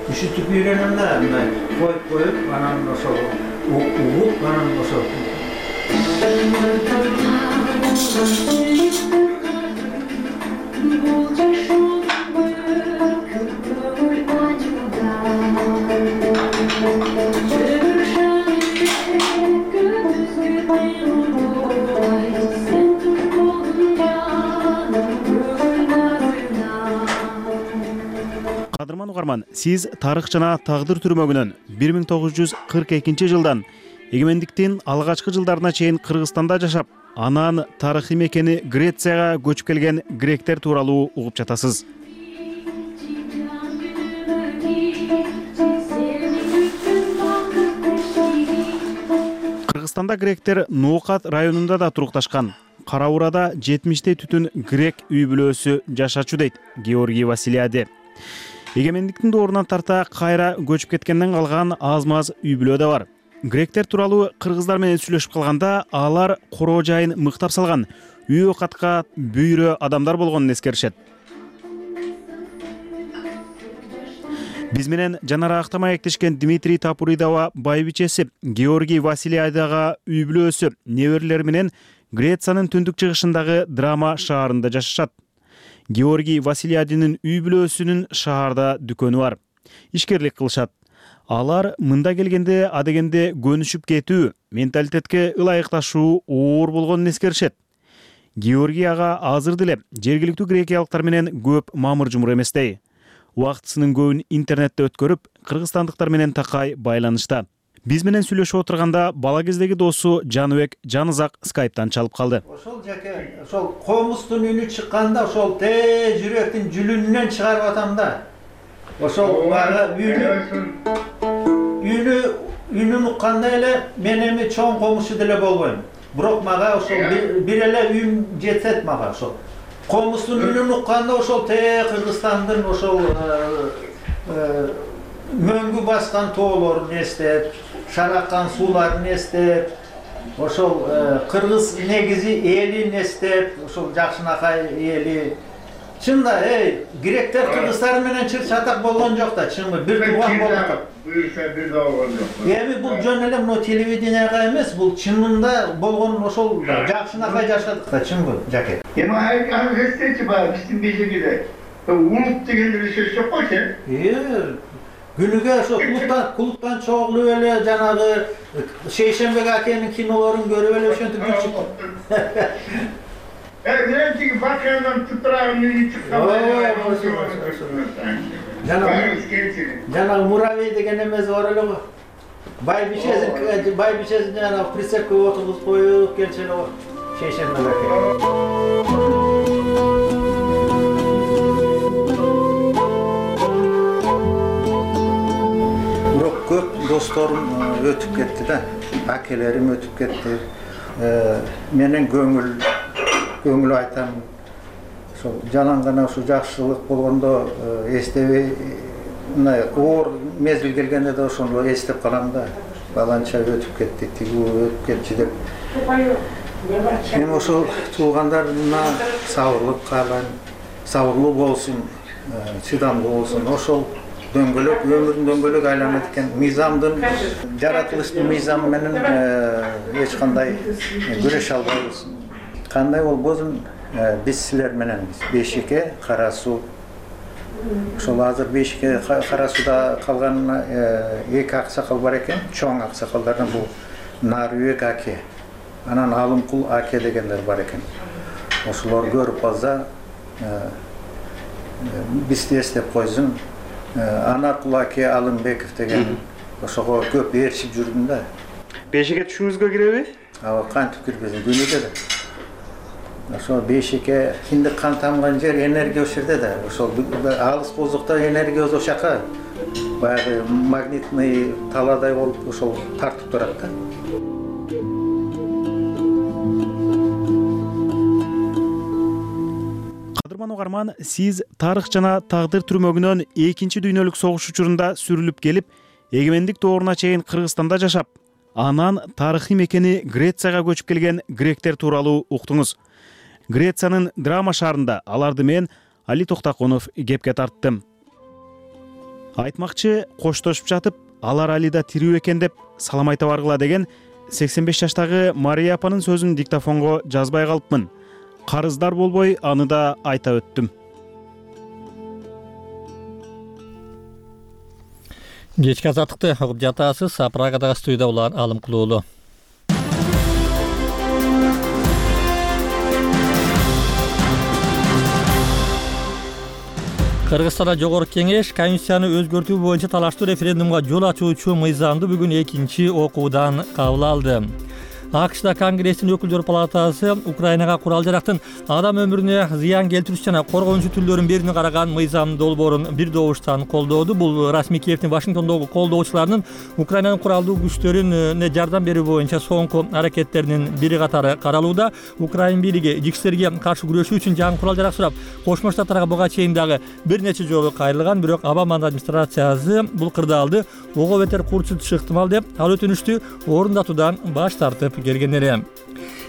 Üşütüp үйрөнөм да, мындай коюп коюп, анан ошол угуп, анан ошол. Кадырман угарман, сиз тарых жана тагдыр түрмөгүнөн бир миң тогуз жүз кырк экинчи жылдан эгемендиктин алгачкы жылдарына чейин Кыргызстанда жашап, анан тарыхый мекени Грецияга көчүп келген гректер тууралуу угуп жатасыз. Кыргызстанда гректер Ноокат районунда да турукташкан. Кара Урада жетимиштей түтүн грек үй бүлөсү жашачу дейт Георгий Василиади. Эгемендиктин доорунан тарта кайра көчүп кеткенден калган аз-маз үй бүлө да бар. Гректер тууралуу кыргыздар менен сүйлөшүп калганда алар короо жайын мыктап салган, үй окатка бүйрө адамдар болгонун эскеришет. Биз менен жанаракта маектешкен Дмитрий Тапуридова байбичеси Георгий Василиадага үй бүлөсү неберелери менен Грециянын түндүк чыгышындагы Драма шаарында жашашат. Георгий Василиадинин үй бүлөсүнүн шаарда дүкөнү бар. Ишкерлик кылышат. Алар мында келгенде адегенде көнүшүп кетүү, менталитетке ылайыкташуу оор болгонун эскеришет. Георгий ага азыр деле жергиликтүү грекиялыктар менен көп мамыр жумур эместей. Убактысынын көбүн интернетте өткөрүп, кыргызстандыктар менен такай байланышта. Биз менен сүйлөшүп отурганда бала кездеги досу Жаныбек Жанызак скайптан чалып калды. Ошол жаке, ошол комустун үнү чыкканда ошол те жүрөктүн жүлүнүнөн чыгарып атам да. Ошол бары үнү үнү үнүн укканда эле мен эми чоң комушу деле болбойм. Бирок мага ошол бир эле үн жетет мага ошол. Комустун үнүн укканда ошол те Кыргызстандын ошол мөңгү баскан тоолорун эстеп, шараккан сууларын эстеп, ошол кыргыз негизи элин эстеп, ошол Жакшынакай эли, Чында, эй, гректер кыргыздар менен чыр чатак болгон жок да, чынбы? Бир тууган болуп. Буюрса бир да болгон жок. Эми бул жөн эле мына телевиденияга эмес, бул чынында болгон ошол жакшынакай жашадык да, чынбы, Жаке? Эми аны эстечи бар, биздин бежегиде. Улут деген эле сөз жок го, сен? Э, күнүгө ошо клубтан, клубтан чогулуп эле жанагы Шейшембек акенин кинолорун көрүп эле ошентип жүрчү. Мен тиги бакыяндан тутрагын үйү чыккан. Жанагы муравей деген эмеси бар эле го. Байбичесин, байбичесин жанагы прицепке отургузуп коюп келчү эле го. Шейшембек аке. Көп досторум өтүп кетти да, акелерим өтүп кетти. Менен көңүл көңүл айтам. Ошо жанан гана ушу жакшылык болгондо эстебей, мына оор мезгил келгенде да ошону эстеп калам да. Баланча өтүп кетти, тиги өтүп кетчи деп. Эми ошол туугандарына сабырлык каалайм, сабырлуу болсун, чыдамдуу болсун. Ошол дөңгөлөк, өмүрдүн дөңгөлөк айланат экен. Мыйзамдын, жаратылыштын мыйзамы менен эч кандай күрөшө албайбыз. Кандай болбосун, биз силер менен Бейшике, Кара суу. Ошол азыр Бейшике, Кара сууда калган эки аксакал бар экен, чоң аксакалдардан бул Нарбек аке, анан Алымкул аке дегендер бар экен. Ошолор көрүп калса, бизди эстеп койсун. Анаркул аке, Алымбеков деген ошого көп ээрчип жүрдүм да. Бейшике түшүңүзгө киреби? Ооба, кантип кирбесин, күнүгө да. Ошо Бейшике киндик кан тамган жер, энергия ошол жерде да. Ошол алыс болсокто энергия ошол жака баягы магнитный таладай болуп ошол тартып турат да. Кадырман угарман, сиз тарых жана тагдыр түрмөгүнөн экинчи дүйнөлүк согуш учурунда сүрүлүп келип, эгемендик дооруна чейин Кыргызстанда жашап, анан тарыхый мекени Грецияга көчүп келген гректер тууралуу уктуңуз. Грециянын Драма шаарында аларды мен Али Токтоконов кепке тарттым. Айтмакчы, коштошуп жатып, алар Али да тирүү экен деп салам айта баргыла деген сексен беш жаштагы Мария апанын сөзүн диктофонго жазбай калыпмын. Карыздар болбой аны да айта өттүм. Кечки азаттыкты угуп жатасыз. Прагадагы студияда улан Алымкул уулу. Кыргызстанда жогорку кеңеш Конституцияны өзгөртүү боюнча талаштуу референдумга жол ачуучу мыйзамды бүгүн экинчи окуудан кабыл алды. АКШда Конгресстин өкүлдөр палатасы Украинага курал жарактын адам өмүрүнө зыян келтирүүчү жана коргонуучу түрлөрүн берүүнү караган мыйзам долбоорун бир добуштан колдоду. Бул расмий Киевдин Вашингтондогу колдоочуларынын Украинанын куралдуу күчтөрүнө жардам берүү боюнча соңку аракеттеринин бири катары каралууда. Украин бийлиги ЖИКСтерге каршы күрөшүү үчүн жаңы курал жарак сурап, Кошмо Штаттарга буга чейин дагы бир нече жолу кайрылган, бирок Обаманын администрациясы бул кырдаалды ого бетер курчутушу ыктымал деп ал өтүнүштү орундатуудан баш тартып келген эле.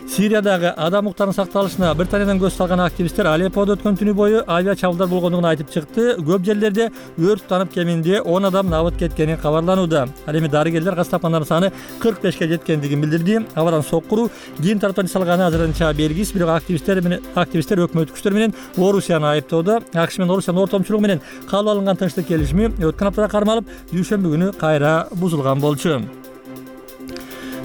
Сириядагы адам укуктарынын сакталышына Британиядан көз салган активисттер Алепподо өткөн түнү бою авиа чабуулдар болгондугун айтып чыкты. Көп жерлерде өрт танып кеминде он адам набыт кеткени кабарланууда. Ал эми дарыгерлер каз тапкандардын саны кырк бешке жеткендигин билдирди. Абадан соккуруу кийин тараптан салганы азырынча белгисиз, бирок активисттер менен активисттер өкмөт күчтөр менен Орусияны айыптоодо. АКШ менен Орусиянын ортомчулугу менен кабыл алынган тынчтык келишими өткөн аптада кармалып, дүйшөмбү күнү кайра бузулган болчу.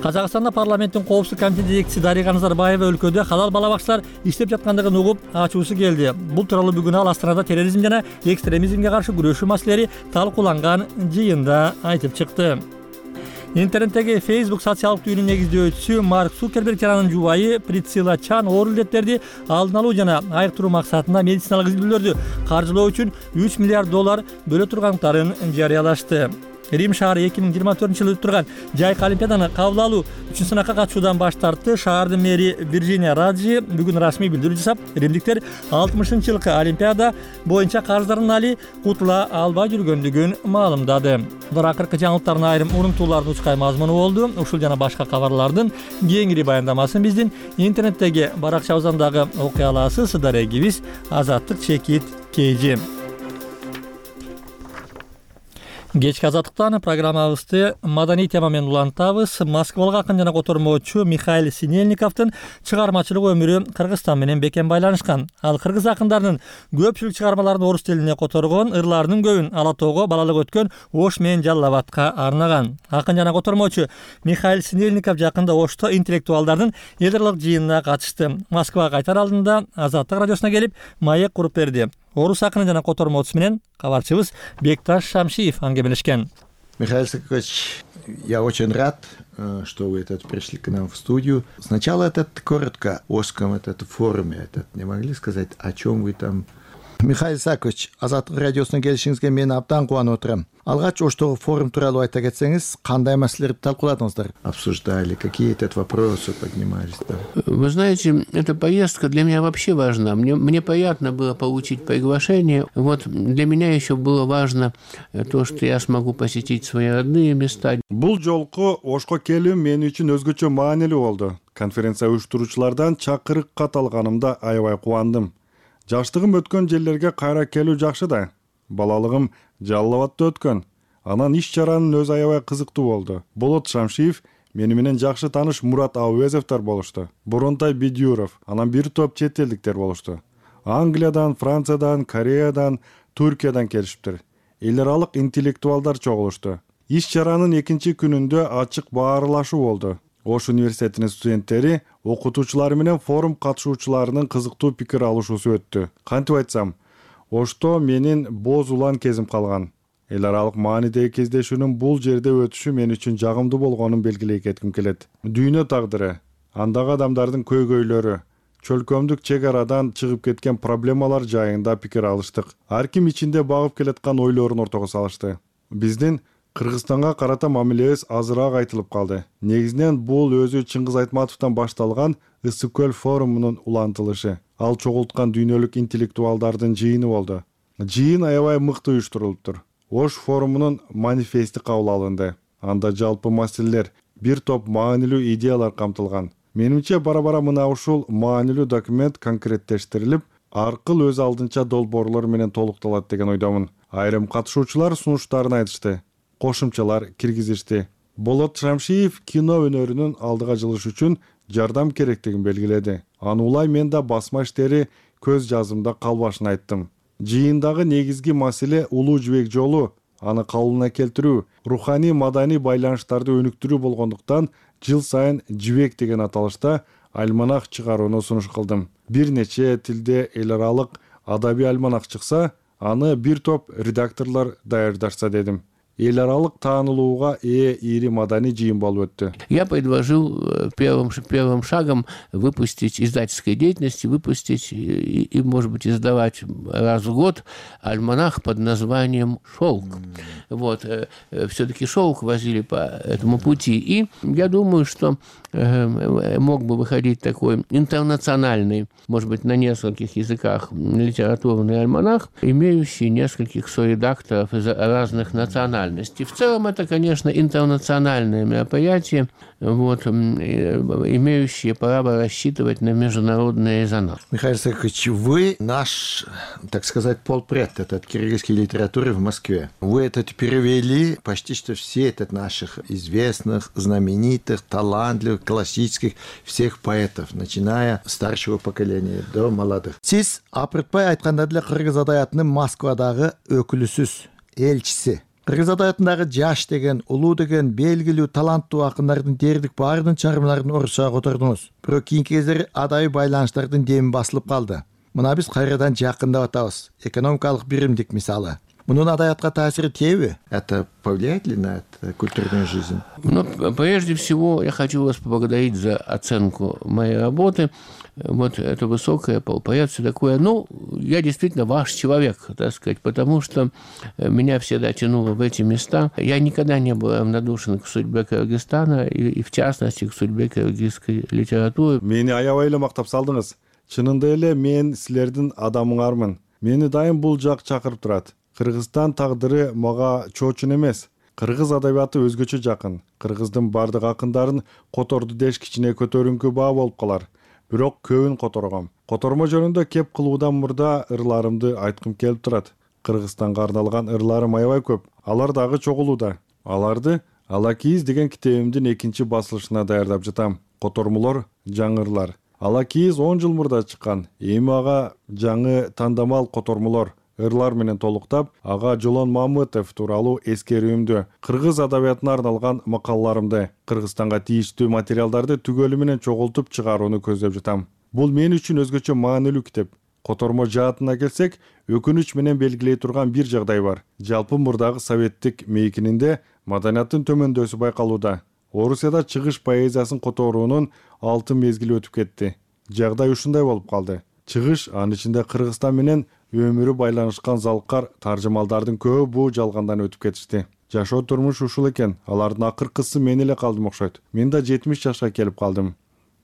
Казакстанда парламенттин коопсуздук комитети жетекчиси Дарига Назарбаева өлкөдө халал бала бакчалар иштеп жаткандыгын угуп ачуусу келди. Бул тууралуу бүгүн ал Астанада терроризм жана экстремизмге каршы күрөшүү маселелери талкууланган жыйында айтып чыкты. Интернеттеги Facebook социалдык түйүнүн негиздөөчүсү Марк Цукерберг жана анын жубайы Присцилла Чан оор илеттерди алдын алуу жана айыктыруу максатында медициналык изилдөөлөрдү каржылоо үчүн үч миллиард доллар бөлө тургандыктарын жарыялашты. Рим шаары эки миң жыйырма төртүнчү жылы өтүп турган жайкы олимпиаданы кабыл алуу үчүнчү сынакка катышуудан баш тартты. Шаардын мэри Вирджиния Раджи бүгүн расмий билдирүү жасап, римдиктер алтымышынчы жылкы олимпиада боюнча карыздарын али кутула албай жүргөндүгүн маалымдады. Булар акыркы жаңылыктардын айрым урунтуулардын учкай мазмуну болду. Ушул жана башка кабарлардын кеңири баяндамасын биздин интернеттеги баракчабыздан дагы окуй аласыз. Дарегибиз Азаттык чекит кейжи. Кечки азаттыктан программабызды маданий тема менен улантабыз. Москвалык акын жана котормочу Михаил Синельниковдун чыгармачылык өмүрү Кыргызстан менен бекем байланышкан. Ал кыргыз акындарынын көпчүлүк чыгармаларын орус тилине которгон, ырларынын көбүн Ала тоого балалык өткөн Ош менен Жалал Абадка арнаган. Акын жана котормочу Михаил Синельников жакында Ошто интеллектуалдардын элдарлык жыйынына катышты. Москвага кайтар алдында Азаттык радиосуна келип маек куруп берди. Орус акыны жана котормочусу менен кабарчыбыз Бекташ Шамшиев аңгемелешкен. Михаил Сакович, я очень рад, что вы этот пришли к нам в студию. Сначала этот коротко о Ошском этот форуме, этот не могли сказать, о чем вы там? Михаил Сакович, Азаттык радиосуна келишиңизге мен абдан кубанып отурам. Алгач Оштогу форум тууралуу айта кетсеңиз, кандай маселелерди талкууладыңыздар? Обсуждали, какие этот вопросы поднимались там? Вы знаете, эта поездка для меня вообще важна. Мне, мне приятно было получить приглашение. Вот для меня еще было важно то, что я смогу посетить свои родные места. Бул жолку Ошко келүү мен үчүн өзгөчө маанилүү болду. Конференция уюштуруучулардан чакырык кат алганымда аябай кубандым. Жаштыгым өткөн жерлерге кайра келүү жакшы да. Балалыгым Жалал Абадта өткөн. Анан иш чаранын өзү аябай кызыктуу болду. Болот Шамшиев мени менен жакшы тааныш Мурат Абуезовдор болушту. Боронтай Бидюров, анан бир топ чет элдиктер болушту. Англиядан, Франциядан, Кореядан, Түркиядан келишиптир. Эл аралык интеллектуалдар чогулушту. Иш чаранын экинчи күнүндө ачык баарлашуу болду. Ош университетинин студенттери, окутуучулары менен форум катышуучуларынын кызыктуу пикир алышуусу өттү. Кантип айтсам, Ошто менин боз улан кезим калган. Эл аралык маанидеги кездешүүнүн бул жерде өтүшү мен үчүн жагымдуу болгонун белгилей кетким келет. Дүйнө тагдыры, андагы адамдардын көйгөйлөрү, чөлкөмдүк чек арадан чыгып кеткен проблемалар жайында пикир алыштык. Ар ким ичинде багып келаткан ойлорун ортого салышты. Биздин Кыргызстанга карата мамилебиз азыраак айтылып калды. Негизинен бул өзү Чыңгыз Айтматовдон башталган Ысык көл форумунун улантылышы. Ал чогулткан дүйнөлүк интеллектуалдардын жыйыны болду. Жыйын аябай мыкты уюштурулуптур. Ош форумунун манифести кабыл алынды. Анда жалпы маселелер, бир топ маанилүү идеялар камтылган. Менимче бара-бара мына ушул маанилүү документ конкреттештирилип, аркыл өз алдынча долбоорлор менен толукталат деген ойдомун. Айрым катышуучулар сунуштарын айтышты. Кошумчалар киргизишти. Болот Шамшиев кино өнөрүнүн алдыга жылыш үчүн жардам керектигин белгиледи. Аны улай мен да басма иштери көз жазымда калбашын айттым. Жыйындагы негизги маселе улуу жибек жолу, аны калыбына келтирүү, руханий маданий байланыштарды өнүктүрүү болгондуктан жыл сайын жибек деген аталышта альманах чыгарууну сунуш кылдым. Бир нече тилде эл аралык адабий альманах чыкса, аны бир топ редакторлор даярдашса дедим. Эл аралык таанылууга ээ ири маданий жыйын болуп өттү. Я предложил первым, первым шагом выпустить издательской деятельности, выпустить и, и, может быть, издавать раз в год альманах под названием «Шелк». Mm. Вот. Все-таки шелк возили по этому пути. И я думаю, что э, мог бы выходить такой интернациональный, может быть, на нескольких языках литературный альманах, имеющий нескольких соредакторов из разных национальностей. В целом это, конечно, интернациональное мероприятие, вот, имеющее право рассчитывать на международный резонанс. Михаил Сакович, вы наш, так сказать, полпред этот киргизской литературы в Москве. Вы этот перевели почти что все этот наших известных, знаменитых, талантливых, классических всех поэтов, начиная с старшего поколения до молодых. Сиз апыртпай айтканда деле кыргыз адабиятынын Москвадагы өкүлүсүз, элчиси. Кыргыз адабиятындагы жаш деген, улуу деген, белгилүү, таланттуу акындардын дээрлик баарынын чыгармаларын орусчага котордуңуз. Бирок кийинки кездери адабий байланыштардын деми басылып калды. Мына биз кайрадан жакындап атабыз. Экономикалык биримдик мисалы. Мунун адабиятка таасири тийби? Это повлияет ли на это культурную жизнь? Ну, прежде всего, я хочу вас поблагодарить за оценку моей работы. вот это высокое полпоэция такое. Ну, я действительно ваш человек, так сказать, потому что меня всегда тянуло в эти места. Я никогда не был равнодушен к судьбе Кыргызстана и, и в частности к судьбе кыргызской литературы. Мени аябай эле мактап салдыңыз. Чынында эле мен силердин адамыңармын. Мени дайым бул жак чакырып турат. Кыргызстан тагдыры мага чоочун эмес. Кыргыз адабияты өзгөчө жакын. Кыргыздын бардык акындарын которду деш кичине көтөрүңкү баа болуп калар. Бирок көбүн которгом. Котормо жөнүндө кеп кылуудан мурда ырларымды айткым келип турат. Кыргызстанга арналган ырларым аябай көп. Алар дагы чогулууда. Аларды Ала кийиз деген китебимдин экинчи басылышына даярдап жатам. Котормолор, жаңы ырлар. Ала кийиз он жыл мурда чыккан. Эми ага жаңы тандамал котормолор ырлар менен толуктап, ага Жолон Мамытов тууралуу эскерүүмдү, кыргыз адабиятына арналган макалаларымды, Кыргызстанга тийиштүү материалдарды түгөлү менен чогултуп чыгарууну көздөп жатам. Бул мен үчүн өзгөчө маанилүү китеп. Котормо жаатына келсек, өкүнүч менен белгилей турган бир жагдай бар. Жалпы мурдагы советтик мейкининде маданияттын төмөндөсү байкалууда. Орусияда чыгыш поэзиясын которуунун алтын мезгили өтүп кетти. Жагдай ушундай болуп калды. Чыгыш, анын ичинде Кыргызстан менен өмүрү байланышкан залкар таржымалдардын көбү жалгандан өтүп кетишти. Жашоо турмуш ушул экен. Алардын акыркысы мен эле калдым окшойт. Мен да жетимиш жашка келип калдым.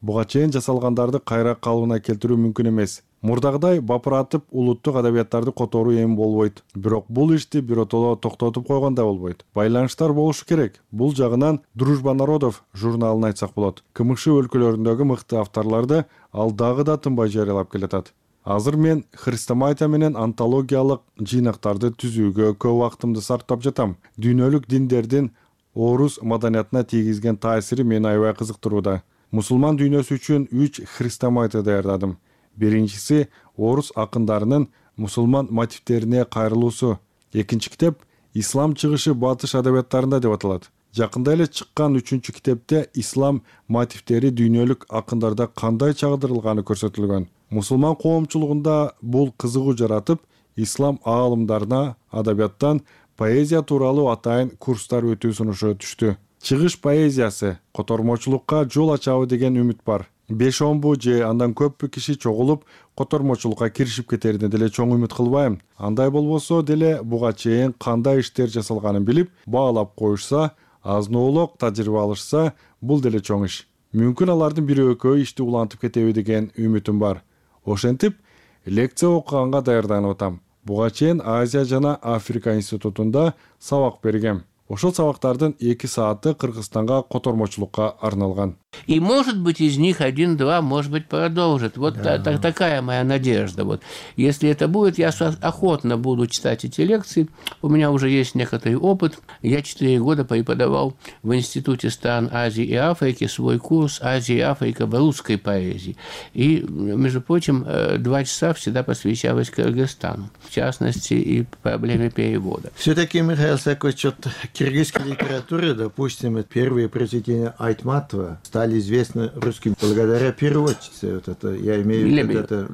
Буга чейин жасалгандарды кайра калыбына келтирүү мүмкүн эмес. Мурдагыдай бапыратып улуттук адабияттарды которуу эми болбойт. Бирок бул ишти биротоло токтотуп койгондой болбойт. Байланыштар болушу керек. Бул жагынан Дружба народов журналын айтсак болот. КМШ өлкөлөрүндөгү мыкты авторлорду ал дагы да тынбай жарыялап келатат. Азыр мен христоматия менен антологиялык жыйнактарды түзүүгө көп убактымды сарптап жатам. Дүйнөлүк диндердин орус маданиятына тийгизген таасири мени аябай кызыктырууда. Мусулман дүйнөсү үчүн үч христоматия даярдадым. Биринчиси орус акындарынын мусулман мотивтерине кайрылуусу. Экинчи китеп Ислам чыгышы батыш адабияттарында деп аталат. Жакында эле чыккан үчүнчү китепте ислам мотивтери дүйнөлүк акындарда кандай чагырдырылганы көрсөтүлгөн. Мусулман коомчулугунда бул кызыгуу жаратып, ислам аалымдарына адабияттан поэзия тууралуу атайын курстар өтүү сунушу түштү. Чыгыш поэзиясы котормочулукка жол ачабы деген үмүт бар. беш онбу же андан көппү киши чогулуп котормочулукка киришип кетерине деле чоң үмүт кылбайм. Андай болбосо деле буга чейин кандай иштер жасалганын билип, баалап коюшса, азноолок тажрыйба алышса, бул деле чоң иш. Мүмкүн алардын бир экөө ишти улантып кетеби деген үмүтүм бар. Ошентип, лекция окуганга даярданып атам. Буга чейин Азия жана Африка институтунда сабак бергем. Ошол сабактардын эки сааты Кыргызстанга котормочулукка арналган. И, может быть, из них один-два, может быть, продолжит. Вот да. та, та, такая моя надежда. Вот. Если это будет, я охотно буду читать эти лекции. У меня уже есть некоторый опыт. Я четыре года преподавал в Институте стран Азии и Африки свой курс «Азия и Африка в русской поэзии». И, между прочим, два часа всегда посвящалось Кыргызстану, в частности, и проблеме перевода. Все-таки, Михаил Сакович, от киргизской литературы, допустим, первые произведения Айтматова стали известны русским благодаря переводчице. Вот это, я имею в виду это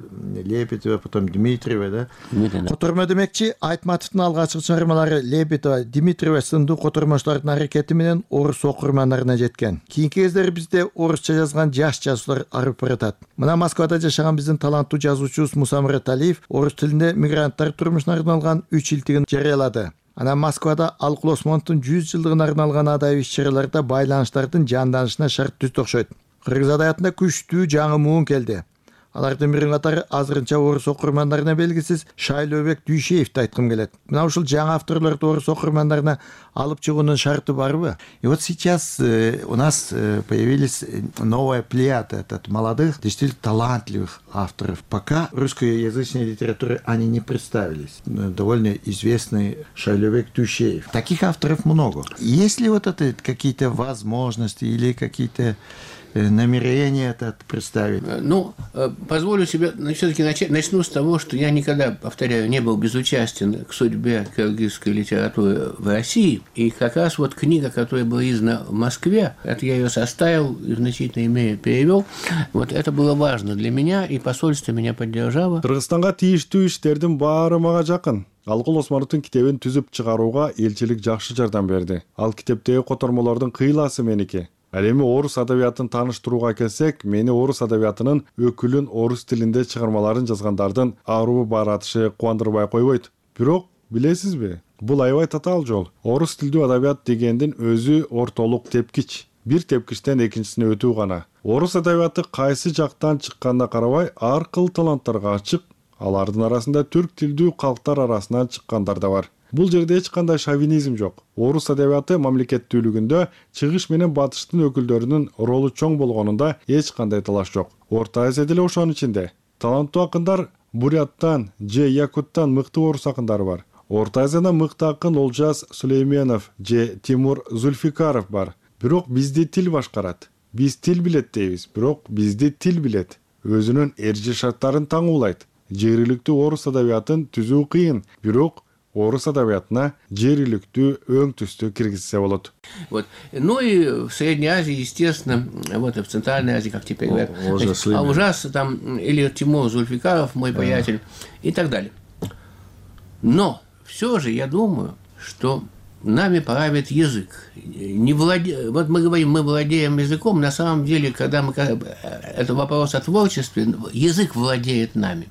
Лебедева, потом Дмитриева, да? Которма демекчи Айтматовдун алгачкы чыгармалары Лебедева, Дмитриева сындуу котормочулардын аракети менен орус окурмандарына жеткен. Кийинки кездери бизде орусча жазган жаш жазуучулар арып баратат. Мына Москвада жашаган биздин таланттуу жазуучубуз Муса Мураталиев орус тилинде мигранттар турмушуна арналган үч илтигин жарыялады. Анан Москвада Алкул Осмоновдун жүз жылдыгына арналган адабий иш-чараларда байланыштардын жанданышына шарт түздү окшойт. Кыргыз адабиятында күчтүү жаңы муун келди. Алардын биринин катары азырынча орус окурмандарына белгисиз Шайлообек Дүйшеевди айткым келет. Мына ушул жаңы авторлорду орус окурмандарына алып чыгуунун шарты барбы? И вот сейчас э, у нас э, появились новая плеяда от молодых, действительно талантливых авторов. Пока русскоязычной литературы они не представились. Довольно известный Шайлообек Дүйшеев. Таких авторов много. Есть ли вот это какие-то возможности или какие-то намерение это представить? Ну, позволю себе все-таки начать, начну с того, что я никогда, повторяю, не был безучастен к судьбе кыргызской литературы в России. И как раз вот книга, которая была издана в Москве, это я ее составил и в значительной мере перевел. Вот это было важно для меня, и посольство меня поддержало. Кыргызстанга тийиштүү иштердин баары мага жакын. Алкул Осмоновдун китебин түзүп чыгарууга элчилик жакшы жардам берди. Ал китептеги котормолордун кыйласы меники. Ал эми орус адабиятын тааныштырууга келсек, мени орус адабиятынын өкүлүн орус тилинде чыгармаларын жазгандардын аруу баратышы кубандырбай койбойт. Бирок билесизби, бул аябай татаал жол. Орус тилдүү адабият дегендин өзү ортолук тепкич. Бир тепкичтен экинчисине өтүү гана. Орус адабияты кайсы жактан чыкканына карабай ар кыл таланттарга ачык. Алардын арасында түрк тилдүү калктар арасынан чыккандар да бар. Бул жерде эч кандай шовинизм жок. Орус адабияты мамлекеттүүлүгүндө чыгыш менен батыштын өкүлдөрүнүн ролу чоң болгонунда эч кандай талаш жок. Орто Азия деле ошонун ичинде. Таланттуу акындар Буряттан же Якуттан мыкты орус акындары бар. Орто Азияда мыкты акын Олжас Сулейменов же Тимур Зульфикаров бар. Бирок бизди тил башкарат. Биз тил билет дейбиз, бирок бизди тил билет. Өзүнүн эржи шарттарын таңуулайт. Жергиликтүү орус адабиятын түзүү кыйын, бирок орус адабиятына жергиликтүү өң түстү киргизсе болот. Вот. Ну и в Средней Азии, естественно, вот и в Центральной Азии, как теперь говорят, а ужас там, или Тимур Зульфикаров, мой приятель, и так далее. Но все же я думаю, что нами правит язык. Не владе... Вот мы говорим, мы владеем языком, на самом деле, когда мы... Это вопрос о творчестве, язык владеет нами.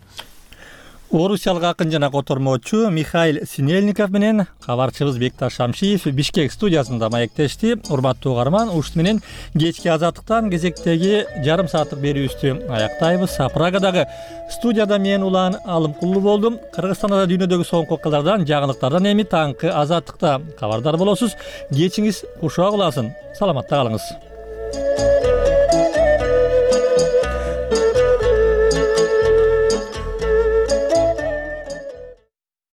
Орусиялык акын жана котормочу Михаил Синельников менен кабарчыбыз Бекташ Шамшиев Бишкек студиясында маектешти. Урматтуу угарман, ушун менен кечки азаттыктан кезектеги жарым сааттык берүүбүздү аяктайбыз. Прагадагы студияда мен Улан Алымкулуу болдум. Кыргызстанда дүйнөдөгү соңку окуялардан, жаңылыктардан эми таңкы азаттыкта кабардар болосуз. Кечиңиз кушак уласын. Саламатта калыңыз.